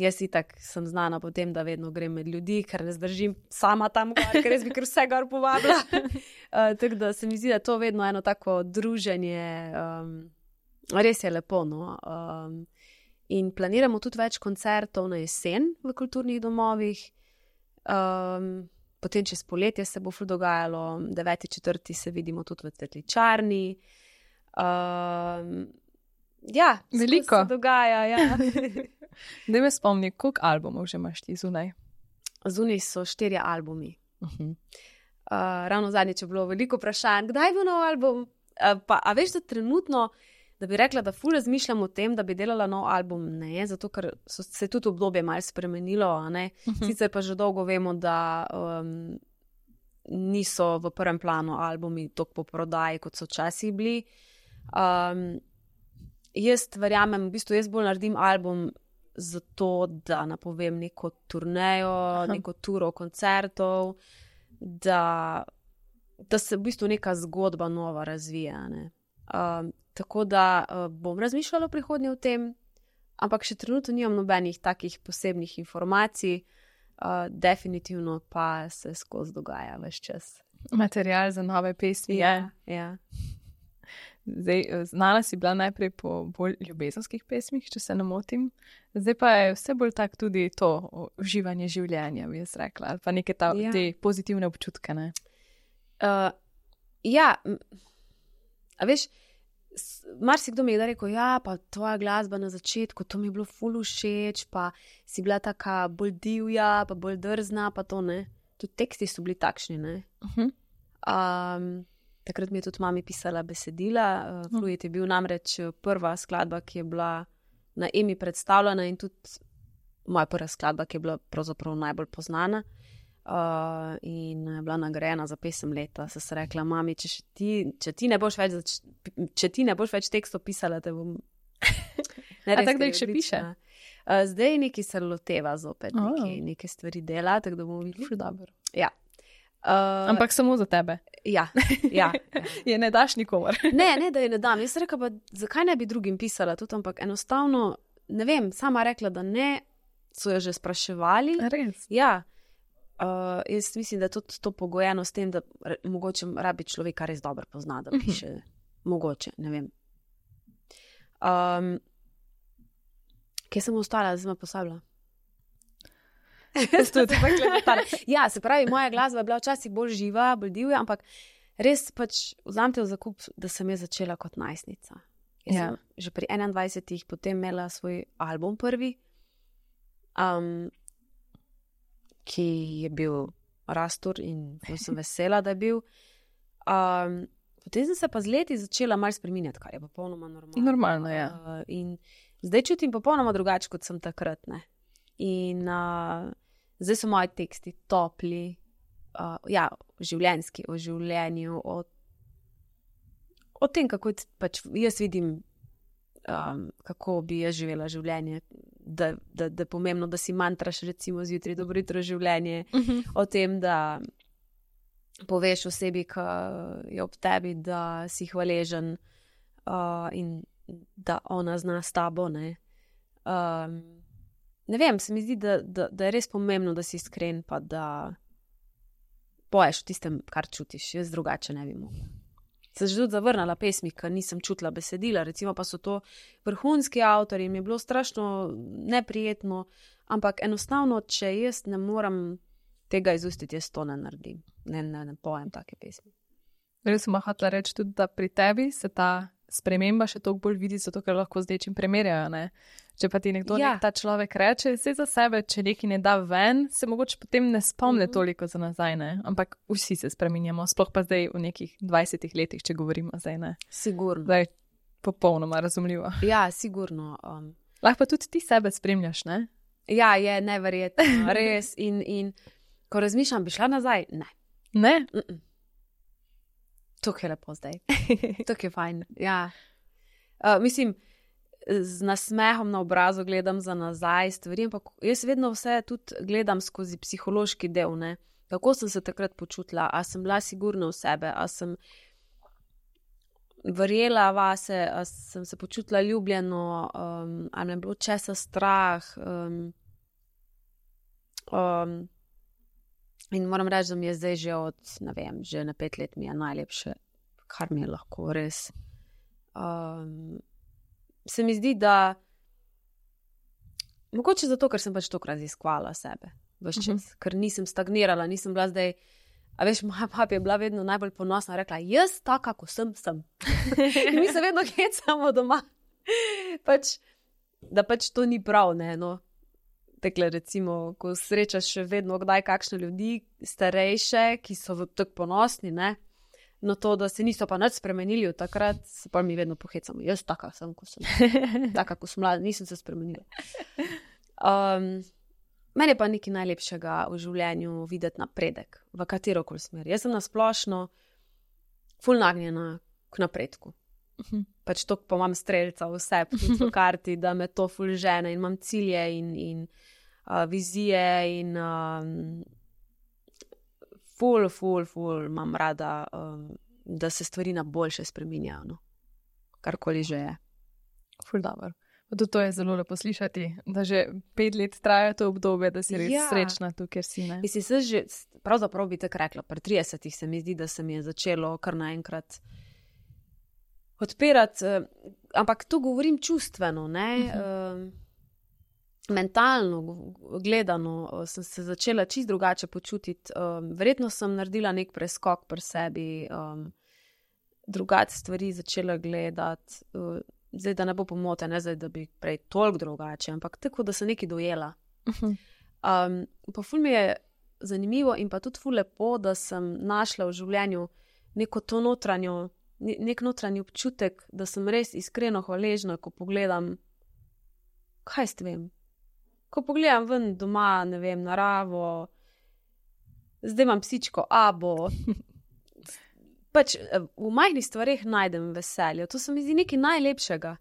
jaz itak sem znana po tem, da vedno grem med ljudi, ker ne zdržim sama tam gor, ker res bi kar vse gor povabila. uh, tako da se mi zdi, da to vedno eno tako druženje, um, res je lepo, no. Um, in planiramo tudi več koncertov na jesen v kulturnih domovih. Um, Potem čez poletje se bo ful dogajalo, deveti četrti se vidimo tudi v Cvetličarni. Um, ja, veliko se dogaja, ja. Daj me spomni, koliko albumov že imaš ti zunaj? Zunaj so štirje albumi. Uh-huh. Uh, ravno zadnjič je bilo veliko vprašanj, kdaj bo nov album? Uh, pa, a veš, da trenutno, da bi rekla, da ful razmišljam o tem, da bi delala nov album, ne, zato ker so se tudi obdobje malo spremenilo, a ne. Uh-huh. Sicer pa že dolgo vemo, da um, niso v prvem planu albumi toliko po prodaji, kot so včasih bili. Um, jaz verjamem, v bistvu jaz bolj naredim album zato, da napovem neko turnejo, uh-huh. neko turo koncertov, da, da se v bistvu neka zgodba nova razvija, ne. Um, tako da uh, bom razmišljala v prihodnje o tem, ampak še trenutno nimam nobenih takih posebnih informacij, uh, definitivno pa se skozi dogaja ves čas. Material za nove pesmi je. Ja, ja. Zdaj, znala si bila najprej po bolj ljubezenskih pesmih, če se ne motim. Zdaj pa je vse bolj tak tudi to uživanje življenja, bi jaz rekla. Ali pa neke ta, Ja. te pozitivne občutke, ne? Uh, ja, m- a veš, s- marsikdo mi je da rekel, ja, pa tvoja glasba na začetku, to mi je bilo ful všeč, pa si bila taka bolj divja, pa bolj drzna, pa to ne. Tudi teksti so bili takšni, ne. Uh-huh. Um, takrat mi je tudi mami pisala besedila. Uh, Fluid je bil namreč eh, prva skladba, ki je bila na Emi predstavljena in tudi moja prva skladba, ki je bila pravzaprav najbolj poznana. Uh, in je bila nagrajena za pesem leta. Se se rekla, mami, če, še ti, če, ti ne boš več, zač- če ti ne boš več tekstov pisala, te bom. Ne, A res, tako, da ker jih je še piše? odlična. Uh, zdaj neki se loteva zopet, Oh. neki, neke stvari dela, tako da bomo videli. Ful dobro. Ja. Uh, Ampak samo za tebe. ja, ja. Je ne daš nikomor. Ne, ne, da je ne dam. Jaz sem rekla, pa, zakaj ne bi drugim pisala tudi, ampak enostavno, ne vem, sama rekla, da ne, so jo že spraševali. Res. Ja, uh, jaz mislim, da je tudi to pogojeno s tem, da re, mogoče rabi človeka res dobro pozna, da piše. Mogoče, ne vem. Um, kje sem ostala, zdaj sem posabila? Ja, se pravi, moja glasba je bila včasih bolj živa, bolj divja, ampak res pač vzamete v zakup, da sem jaz začela kot najstnica. Jaz Ja. sem že pri enaindvajsetih potem imela svoj album prvi, um, ki je bil Rastur in zelo sem vesela, da je bil. Um, potem sem se pa z leti začela malo spreminjati, kar je popolnoma normalno. Normalno, ja. Uh, in zdaj čutim popolnoma drugače, kot sem takrat. Ne? In uh, zdaj so moji teksti topli, uh, ja, življenjski, o življenju, o, o tem, kako t- pač jaz vidim, um, kako bi jaz živela življenje, da, da, da je pomembno, da si mantraš, recimo zjutraj, dobro jutro življenje, Uh-huh. o tem, da poveš osebi, ki je ob tebi, da si hvaležen uh, in da ona zna s tabo. Ne, um, ne vem, se mi zdi, da, da, da je res pomembno, da si iskren, pa da poješ o tistem, kar čutiš. Jaz drugače ne bi mogla. Sem že tudi zavrnila pesmi, ker nisem čutila besedila, recimo pa so to vrhunski avtorji in mi je bilo strašno neprijetno, ampak enostavno, če jaz ne morem tega izustiti, jaz to ne naredim. Ne, ne, ne pojem take pesmi. Res sem hotela reči tudi, da pri tebi se ta sprememba še toliko bolj vidi, zato ker lahko z nečim primerjajo, ne? Če pa ti nekdo, Ja. nek ta človek reče, vse za sebe, če nekaj ne da ven, se mogoče potem ne spomne Mhm. toliko za nazaj, ne? Ampak vsi se spreminjamo, sploh pa zdaj v nekih dvajsetih letih, če govorimo zdaj, ne? Sigurno. Zdaj je popolnoma razumljivo. Ja, sigurno. Um, Lahko pa tudi ti sebe spremljaš, ne? ja, je neverjetno, res. In, in ko razmišljam, bi šla nazaj? Ne. Ne? Mm-mm. Tukaj je lepo zdaj. Tukaj je fajn. Ja. Uh, mislim, z nasmehom na obrazu gledam za nazaj stvari, ampak jaz vedno vse tudi gledam skozi psihološki del. Ne? Kako sem se takrat počutila, a sem bila sigurna v sebe, a sem verjela vase, a sem se počutila ljubljeno, um, a me je bilo česa strah. Um, um, in moram reči, da mi je zdaj že od, ne vem, že na pet let mi je najlepše, kar mi je lahko res. Um, se mi zdi, da mogoče zato, ker sem pač tokrat raziskvala sebe, ves čas, uh-huh. ker nisem stagnirala, nisem bila zdaj, a veš, moja papa je bila vedno najbolj ponosna, rekla, jaz taka, ko sem, sem. In mi se vedno hecamo doma, pač, da pač to ni prav, ne, no. Tekle, recimo, ko srečaš še vedno kdaj kakšne ljudi, starejše, ki so tako ponosni, ne, no to, da se niso pa nič spremenili od takrat, se pa mi vedno pohecamo. Jaz taka sem, ko sem, taka, ko sem mlada, nisem se spremenila. Um, meni je pa nekaj najlepšega v življenju videti napredek, v katerokoli smer. Jaz sem nasplošno ful nagnjena k napredku. Uh-huh. Pač to, pa imam strelca vse v karti, da me to ful žene in imam cilje in, in uh, vizije in um, ful, ful, ful imam rada, um, da se stvari na boljše spreminjajo, no. Karkoli že je. Ful dobro. Tudi to je zelo lepo slišati, da že pet let traja to obdobje, da si res Ja. srečna tu, kjer si. Ne? Mislim, se že, pravzaprav bi tako rekla, pri tridesetih se mi zdi, da se mi je začelo kar naenkrat odpirati, eh, ampak to govorim čustveno, ne, uh-huh. eh, mentalno gledano eh, sem se začela čisto drugače počutiti. Eh, verjetno sem naredila nek preskok pri sebi, eh, drugače stvari začela gledati. Eh, zdaj, da ne bo pomote, ne zdaj, da bi prej toliko drugače, ampak tako, da sem nekaj dojela. Uh-huh. Um, pa ful mi je zanimivo in pa tudi ful lepo, da sem našla v življenju neko to notranjo, nek notranji občutek, da sem res iskreno hvaležna, ko pogledam, kaj s tem, ko pogledam ven doma, ne vem, naravo, zdaj imam psičko Abo, pač v majhnih stvareh najdem veselje, to se mi zdi nekaj najlepšega.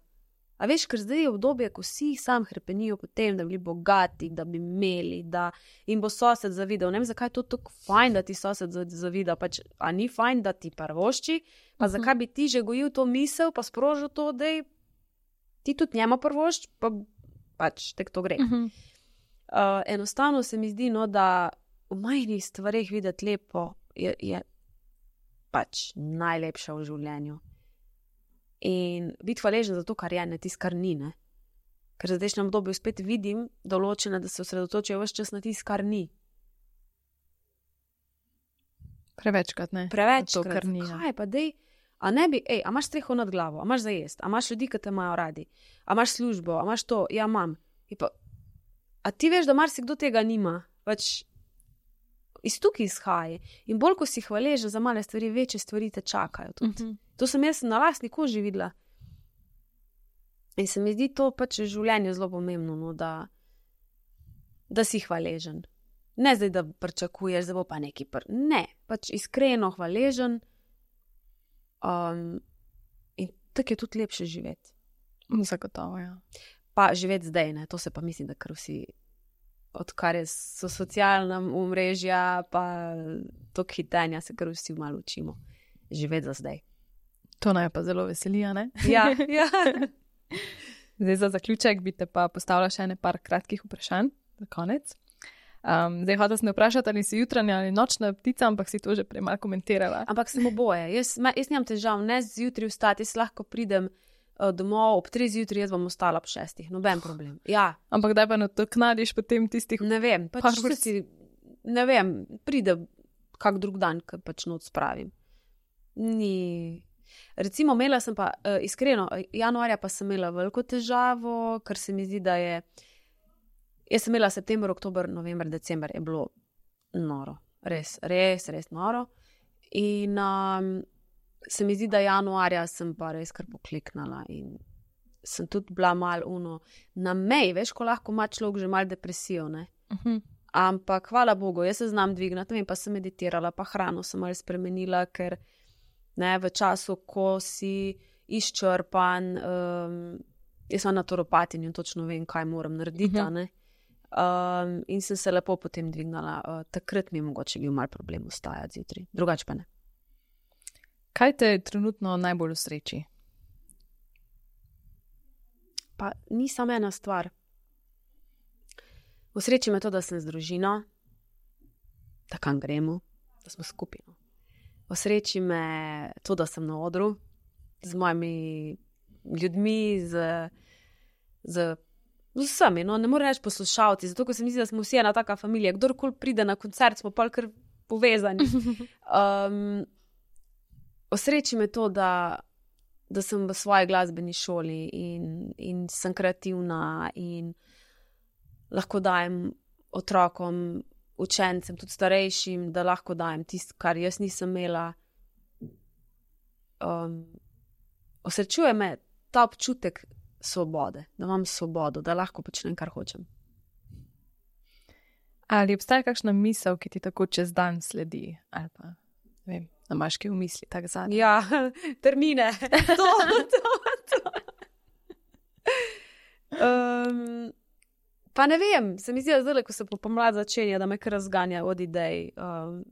A veš, ker zdaj je obdobje, ko vsi sam hrepenijo po tem, da bi bili bogati, da bi imeli, da jim bo sosed zavidal. Ne vem, zakaj je to tako fajn, da ti sosed zavida, pač, a ni fajn, da ti prvošči, pa uh-huh. zakaj bi ti že gojil to misel, pa sprožil to, da ti tudi njema prvošč, pa pač tek to gre. Uh-huh. Uh, enostavno se mi zdi, no, da v majhnih stvareh videti lepo je, je pač najlepša v življenju. In biti hvaležen za to, kar je, ne tisto, kar ni, ne. Ker zdaj na obdobju spet vidim določene, da se osredotočijo ves čas na tisto, kar ni. Prevečkrat, ne? Prevečkrat. To, kar ni. Kaj pa dej, a ne bi, ej, a imaš streho nad glavo, a imaš za jest, a imaš ljudi, ki te imajo radi, a imaš službo, a imaš to, ja, imam. Pa, a ti veš, da marsikdo tega nima, pač iz tukaj izhaja. In bolj, ko si hvaležen za male stvari, večje stvari te čakajo tudi. Uh-huh. To sem jaz na lastni koži videla. In se mi zdi to pač v življenju zelo pomembno, no, da, da si hvaležen. Ne zdaj, da pričakuješ, da bo pa neki pr... Ne, pač iskreno hvaležen um, in tako je tudi lepše živeti. Zagotovo, ja. Pa živeti zdaj, ne, to se pa mislim, da kar vsi odkar je so socialna omrežja, pa tok hitenja, se kar vsi malo učimo. Živeti za zdaj. To naj pa zelo veseli, ne? Ja, ja. Zdaj za zaključek bi te pa postavila še ene par kratkih vprašanj za konec. Um, zdaj hočela sem vprašati, ali si jutranja ali nočna ptica, ampak si to že prej malo komentirala. Ampak sem oboje. Jaz, jaz nimam težav, ne zjutraj vstati, jaz lahko pridem uh, domov ob treh zjutraj, jaz bom ostala ob šestih, noben problem. Ja. Ampak daj pa nadoknadiš potem tistih... Ne vem, pač si, ne vem, pride kak drug dan, ko pač noč spravim. Ni... Recimo, imela sem pa, uh, iskreno, januarja pa sem imela veliko težavo, ker se mi zdi, da je, jaz sem imela september, oktober, november, december, je bilo noro, res, res, res noro. In um, se mi zdi, da januarja sem pa res kar pokliknala in sem tudi bila mal uno na meji, veš, ko lahko ima človek že mal depresijo, ne. Uh-huh. Ampak hvala Bogu, jaz se znam dvignati, vem, pa sem meditirala, pa hrano sem malo spremenila, ker ne, v času, ko si izčrpan, um, jaz sem naturopatinja in točno vem, kaj moram narediti, uh-huh. ne. Um, in sem se lepo potem dvignala. Uh, takrat mi je mogoče bil mal problem vstajati zjutraj, drugače pa ne. Kaj te trenutno najbolj usreči? Pa ni samo ena stvar. Usreči me to, da sem z družino, da kam gremo, da smo skupino. Osreči me to, da sem na odru z mojimi ljudmi, z, z, z vsemi. No, ne morem reči poslušalci, zato ko se mi zdi, da smo vsi ena taka familija. Kdorkoli pride na koncert, smo pa kar povezani. Um, osreči me to, da, da sem v svoji glasbeni šoli in, in sem kreativna in lahko dajem otrokom, učencem, tudi starejšim, da lahko dajem tisto, kar jaz nisem imela. Um, osrečuje me ta občutek svobode, da imam svobodo, da lahko počnem, kar hočem. Ali obstaja kakšna misel, ki ti tako čez dan sledi? Ali pa, ne vem, da imaš kaj v misli, tak zadnji? Ja, termine. To, to, to. Um, Pa ne vem, se mi zdi, da zdaj, ko se pomlad začenja, da me kar razganja od idej. Um,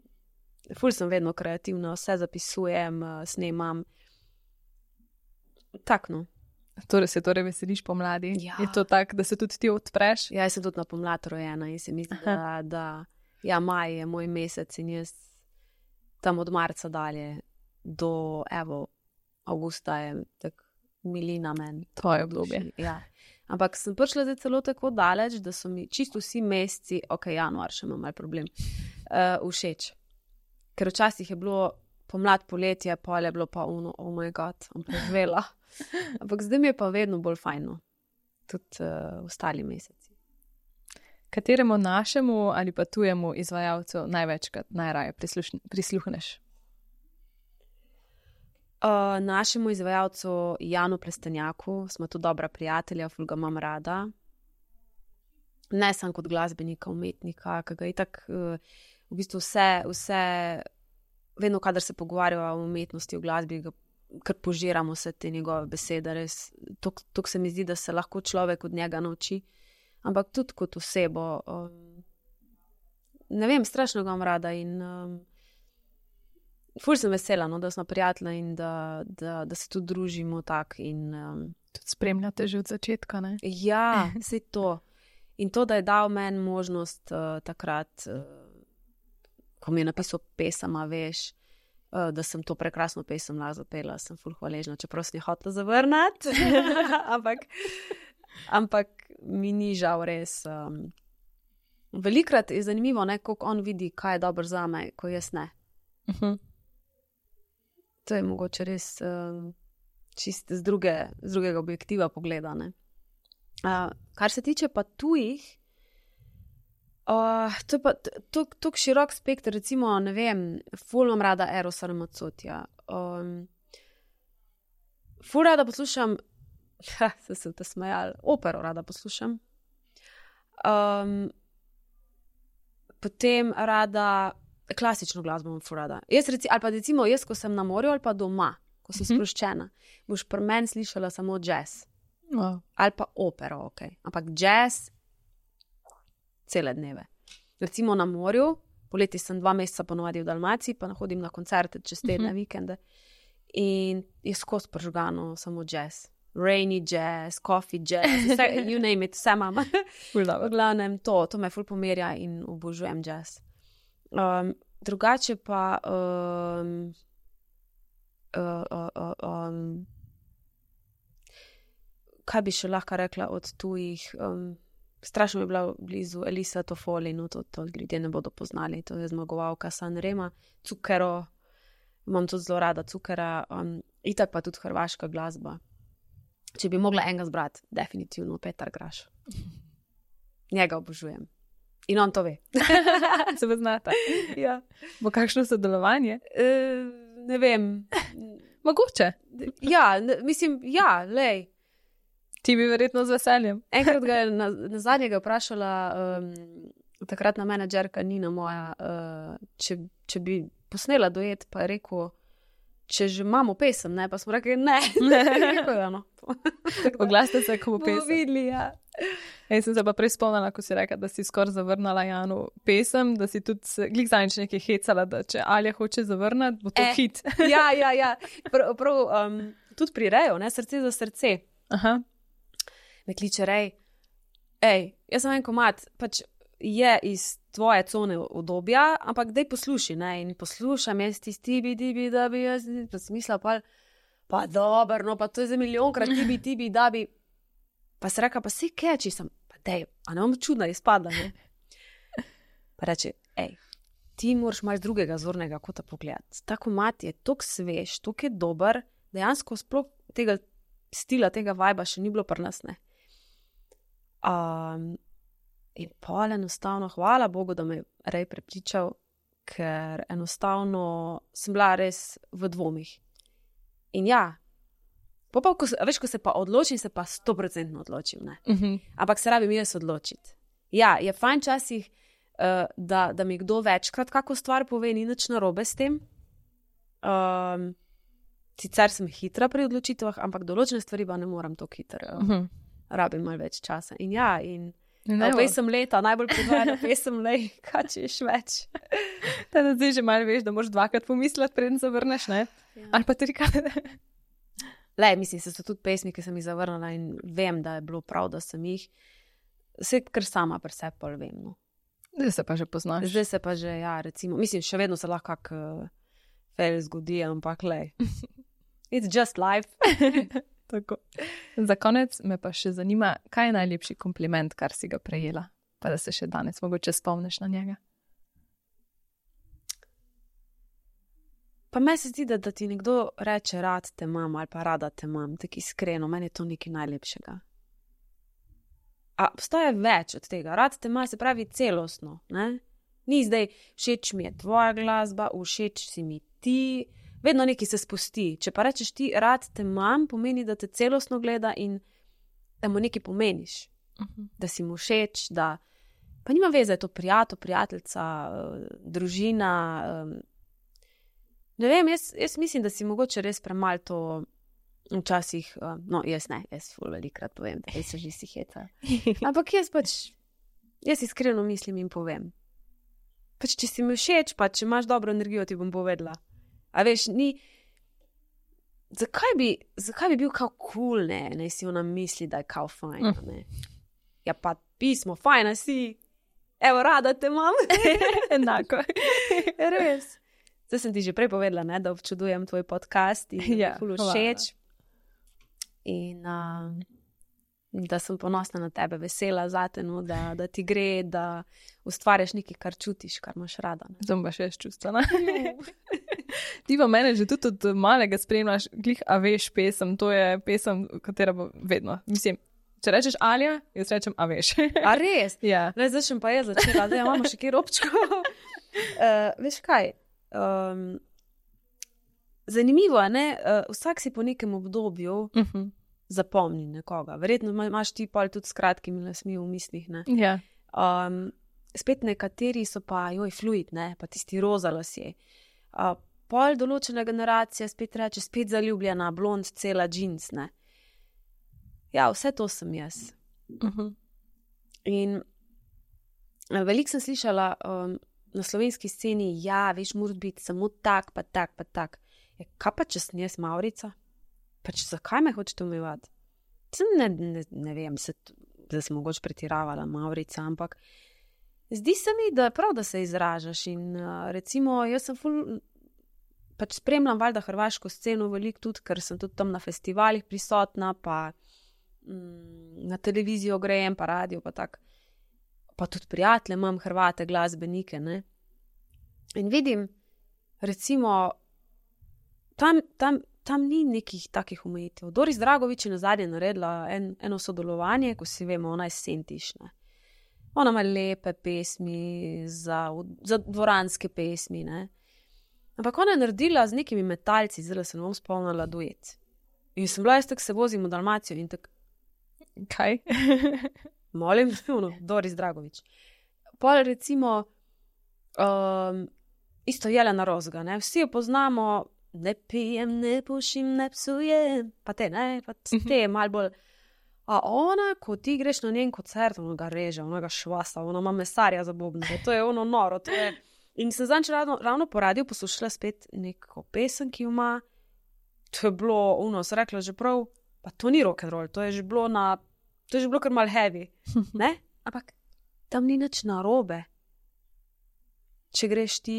ful sem vedno kreativna, vse zapisujem, uh, snemam. Tak, no. Torej se torej veseliš pomladi? Ja. Je to tako, da se tudi ti odpreš? Ja, jaz sem tudi na pomlad rojena in se mi zdi, da, da ja, maj je moj mesec in jaz tam od marca dalje do, evo, avgusta je tak milina meni. Tvoje obdobje. Ja. Ampak sem prišla zdaj celo tako daleč, da so mi čisto vsi meseci, ok, januar še imam mal problem, uh, všeč. Ker včasih je bilo pomlad, poletje, pol je bilo pa uno, oh my god, am preživela. Ampak zdaj mi je pa vedno bolj fajno. Tudi uh, ostali meseci. Kateremu našemu ali pa tujemu izvajalcu največkrat najraje prisluhneš? Uh, našemu izvajalcu Janu Plestenjaku smo tudi dobra prijatelja, ful ga imam rada. Ne sem kot glasbenika, umetnika, ki ga itak uh, v bistvu vse, vse, vedno, kadar se pogovarjamo o umetnosti, o glasbi, ga, kar požiramo vse te njegove besede, res, tok se mi zdi, da se lahko človek od njega nauči, ampak tudi kot osebo. Um, ne vem, strašno ga imam rada in um, ful sem vesela, no, da smo prijatelji in da, da, da se tudi družimo tak in um, tudi spremljate že od začetka, ne? Ja, vse to. In to, da je dal meni možnost uh, takrat, uh, ko mi je napisal pesama, veš, uh, da sem to prekrasno pesem lahko zapela, sem ful hvaležna, čeprav sem jo hotela zavrniti, ampak, ampak mi ni žal res. Um, velikrat je zanimivo, ne, koliko on vidi, kaj je dobro zame, ko jaz ne. Uh-huh. To je mogoče res uh, čist z, druge, z drugega objektiva pogleda, ne. Uh, kar se tiče pa tujih, uh, to je pa tako širok spektr, recimo, ne vem, ful imam rada Erosa Ramazzotija. Um, ful rada poslušam, ha, se sem te smejal, opero rada poslušam. Um, potem rada klasično glasbo imam ful rada. Jaz reci, ali pa recimo jaz, ko sem na morju ali pa doma, ko sem Mhm. sproščena, boš pri meni slišala samo jazz. Wow. Ali pa opero, ok. Ampak jazz cele dneve. Recimo na morju, poleti sem dva meseca ponovadi v Dalmaciji, pa hodim na koncerte čez tedne, Mhm. vikende. In je skozi pržgano samo jazz. Rainy jazz, coffee jazz, vse, you name it, vse imam. Ful V dobro. glavnem to, to me ful pomerja in obožujem jazz. Um, drugače pa um, uh, uh, uh, um, kaj bi še lahko rekla od tujih? Um, strašno mi je bila blizu Elisa Toffoli, no to, to ljudje ne bodo poznali, to je zmagovalka Sanrema, Cukero, imam tudi zelo rada Cukera, um, itak pa tudi hrvaška glasba. Če bi mogla enega zbrati, definitivno Petar Graš. Njega obožujem. In on to ve. Se poznata. Ja. Bo kakšno sodelovanje? E, ne vem. Mogoče. Ja, ne, mislim, ja, lej. Ti bi verjetno z veseljem. Enkrat ga je na, na zadnjega vprašala um, takratna menedžerka Nina moja, uh, če, če bi posnela duet, pa je rekel, če že imamo pesem, ne, pa smo rekli, ne. Rekel je, no. Oglasite se, ko bo Bomo pesem. videli, ja. Jaz sem se pa prej spomnila, ko si rekla, da si skoraj zavrnala Janu pesem, da si tudi se- glih zadnjič nekaj hecala, da če Alja hoče zavrniti, bo to Eh. hit. Ja, ja, ja. Prav, prav um, tudi pri Reju, ne, srce za srce. Aha. Me kliče Rej, ej, jaz sem en komad, pač je iz tvoje cone udobja, ampak daj posluši, ne, in poslušam, jaz tisti tibi, tibi, da bi, jaz pa sem mislila, pa, pa dobro, no, pa to je za milijonkrat tibi, tibi, da bi, pa se reka, pa si keči sem, pa dej, a ne bom čudna izpadla, ne. Pa reče, ej, ti moraš malo z drugega zornega kota pogledati. Ta komad je tok svež, tok je dober, dejansko sploh tega stila, tega vajba še ni bilo pri nas, ne. Um, in pol enostavno, hvala Bogu, da me je Rej prepričal, ker enostavno sem bila res v dvomih. In ja, po pa, ko se, a veš, ko se pa odločim, se pa stoprocentno odločim, ne. Mhm. Ampak se rabim jaz odločiti. Ja, je fajn časih, uh, da, da mi kdo večkrat kako stvar pove, ni nič narobe s tem. Um, sicer sem hitra pri odločitvah, ampak določene stvari pa ne moram tako hitro. Uh, Mhm. rabim malo več časa. In ja, in In uh, evo, pesem leta, najbolj predvajana pesem, lej, kaj češ več. da zdaj že malo veš, da moraš dvakrat pomisliti, preden zavrneš, ne? Ja. Ali pa trikrat. Le, mislim, se so tudi pesmi, ki sem jih zavrnila in vem, da je bilo prav, da sem jih. Vse, kar sama pri sebi pol vem, no. Zdaj se pa že poznaš. Zdaj se pa že, ja, recimo, mislim, še vedno se lahko kak uh, fail zgodi, ampak lej. It's just life. Tako. Za konec me pa še zanima, kaj je najlepši kompliment, kar si ga prejela, pa da se še danes mogoče spomniš na njega. Pa meni se zdi, da, da ti nekdo reče, rad te imam ali pa rada te imam, tako iskreno, meni je to nekaj najlepšega. A obstaja več od tega, rad te ima, se pravi celostno, ne? Ni zdaj, všeč mi je tvoja glasba, všeč si mi ti, vedno nekaj se spusti. Če pa rečeš ti, rad te imam, pomeni, da te celostno gleda in da mu nekaj pomeniš. Uh-huh. Da si mu všeč, da pa nima veze, je to prijatelj, prijateljica, družina. Ne vem, jaz, jaz mislim, da si mogoče res premalo to včasih, no jaz ne, jaz ful velikrat povem, da jaz se že si heca. Ampak jaz pač, jaz iskreno mislim in povem. Pač če si mi všeč, pa če imaš dobro energijo, ti bom povedala. A veš, ni, zakaj bi, zakaj bi bil kao cool, ne, ne si ona misli, da je kao fajna, ne. Ja pa pismo, fajna si, evo, rada te imam. Enako. Res. Zdaj sem ti že prej povedala, ne, da občudujem tvoj podcast in ja, ful všeč. In uh, da sem ponosna na tebe, vesela zate, no, da, da ti gre, da ustvarjaš nekaj, kar čutiš, kar imaš rada. Zdaj pa še čustvena. Ti pa mene že tudi od malega spremljaš, glih, a veš pesem, to je pesem, katera bo vedno. Mislim, če rečeš Alja, jaz rečem, a veš. A res? Ja. Ne, zdaj sem pa jaz začela, zdaj imamo še kjer občko. uh, veš kaj? Um, zanimivo je, ne? Uh, vsak si po nekem obdobju uh-huh. zapomni nekoga. Verjetno imaš ti pol tudi s kratkimi lasmi v mislih, ne? Ja. Um, spet nekateri so pa, joj, fluid, ne? Pa tisti roza lasje. Uh, pol določena generacija spet reče, spet zaljubljena, blond, cela džins, ne? Ja, vse to sem jaz. Uh-huh. In uh, veliko sem slišala um, na slovenski sceni, ja, veš, mora biti samo tak, pa tak, pa tak. Ja, kaj pa, če sem jaz Maurica? Pa če zakaj me hočete omejevati? Ne, ne, ne vem, se, da sem mogoče pretiravala Maurica, ampak zdi se mi, da prav, da se izražaš in uh, recimo, jaz sem ful, pač spremljam valjda hrvaško sceno veliko tudi, ker sem tudi tam na festivalih prisotna, pa mm, na televizijo grejem, pa radio, pa tak. Pa tudi prijatelje imam Hrvate, glasbenike, ne. In vidim, recimo, tam, tam, tam ni nekih takih omejitev. Doris Dragović je nazadnje naredila en, eno sodelovanje, ko si vemo, ona je Sentiš, ne. Ona ima lepe pesmi, za, za dvoranske pesmi, ne. Ampak ona je naredila z nekimi metalci, zdaj se ne bom spomnila duet. In sem bila, jaz tako se vozim v Dalmacijo in tako... Kaj? Molim, ono, Doris Dragović. Pol recimo, um, isto Jelena Rozga, ne, vsi jo poznamo, ne pijem, ne pušim, ne psujem, pa te, ne, pa te malo bolj. A ona, ko ti greš na njen koncert, ona ga reže, ona ga švasa, ona ima mesarja za bobne, to je ono noro, to je... In sem zanč ravno, ravno po radiju poslušala spet neko pesem, ki jo ima, to je bilo, ono, se rekla že prav, pa to ni rock and roll, to je že bilo na... To je že bilo kar mal heavy, ne? Ampak tam ni nič narobe. Če greš ti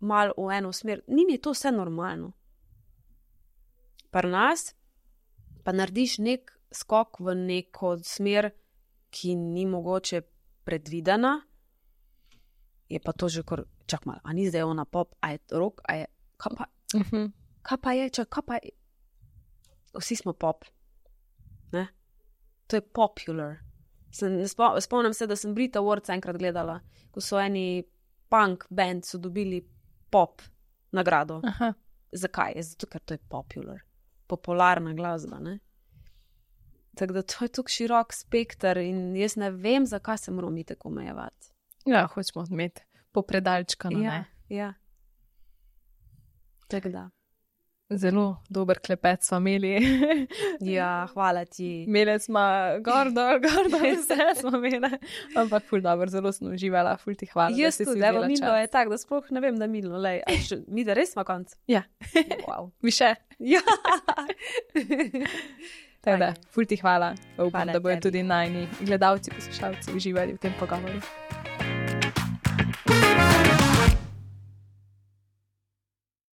mal v eno smer, njim je to vse normalno. Pri nas pa narediš nek skok v neko smer, ki ni mogoče predvidena, je pa to že kar, čak mal, a ni zdaj ona pop, a je rock, a je, kaj pa, uh-huh. kaj pa je, čak, kaj pa je, vsi smo pop, ne? To je popular. Sem, spomnim se, da sem Brit Awards enkrat gledala, ko so eni punk band so dobili pop nagrado. Aha. Zakaj? Zato, ker to je popular. Popularna glasba, ne? Tako da to je tako širok spekter in jaz ne vem, zakaj se moramo mi tako omejevati. Ja, hočemo imeti popredalčkano, ja, ne? Ja. Tako da. Zelo dober klepet smo imeli. Ja, hvala ti. Imeli smo gordo, gordo, vse smo imeli. Ampak ful dobro, zelo sem uživala, ful ti hvala. Jaz tudi, evo, Milo je tak, da sploh ne vem, da Milo, lej, a še, mi da res smo konc. Ja. Wow. Mi še. Ja. Tako da, ful ti hvala. Upam, Hvala da bojo tebi. tudi najni gledalci, poslušalci uživali v tem pogovoru.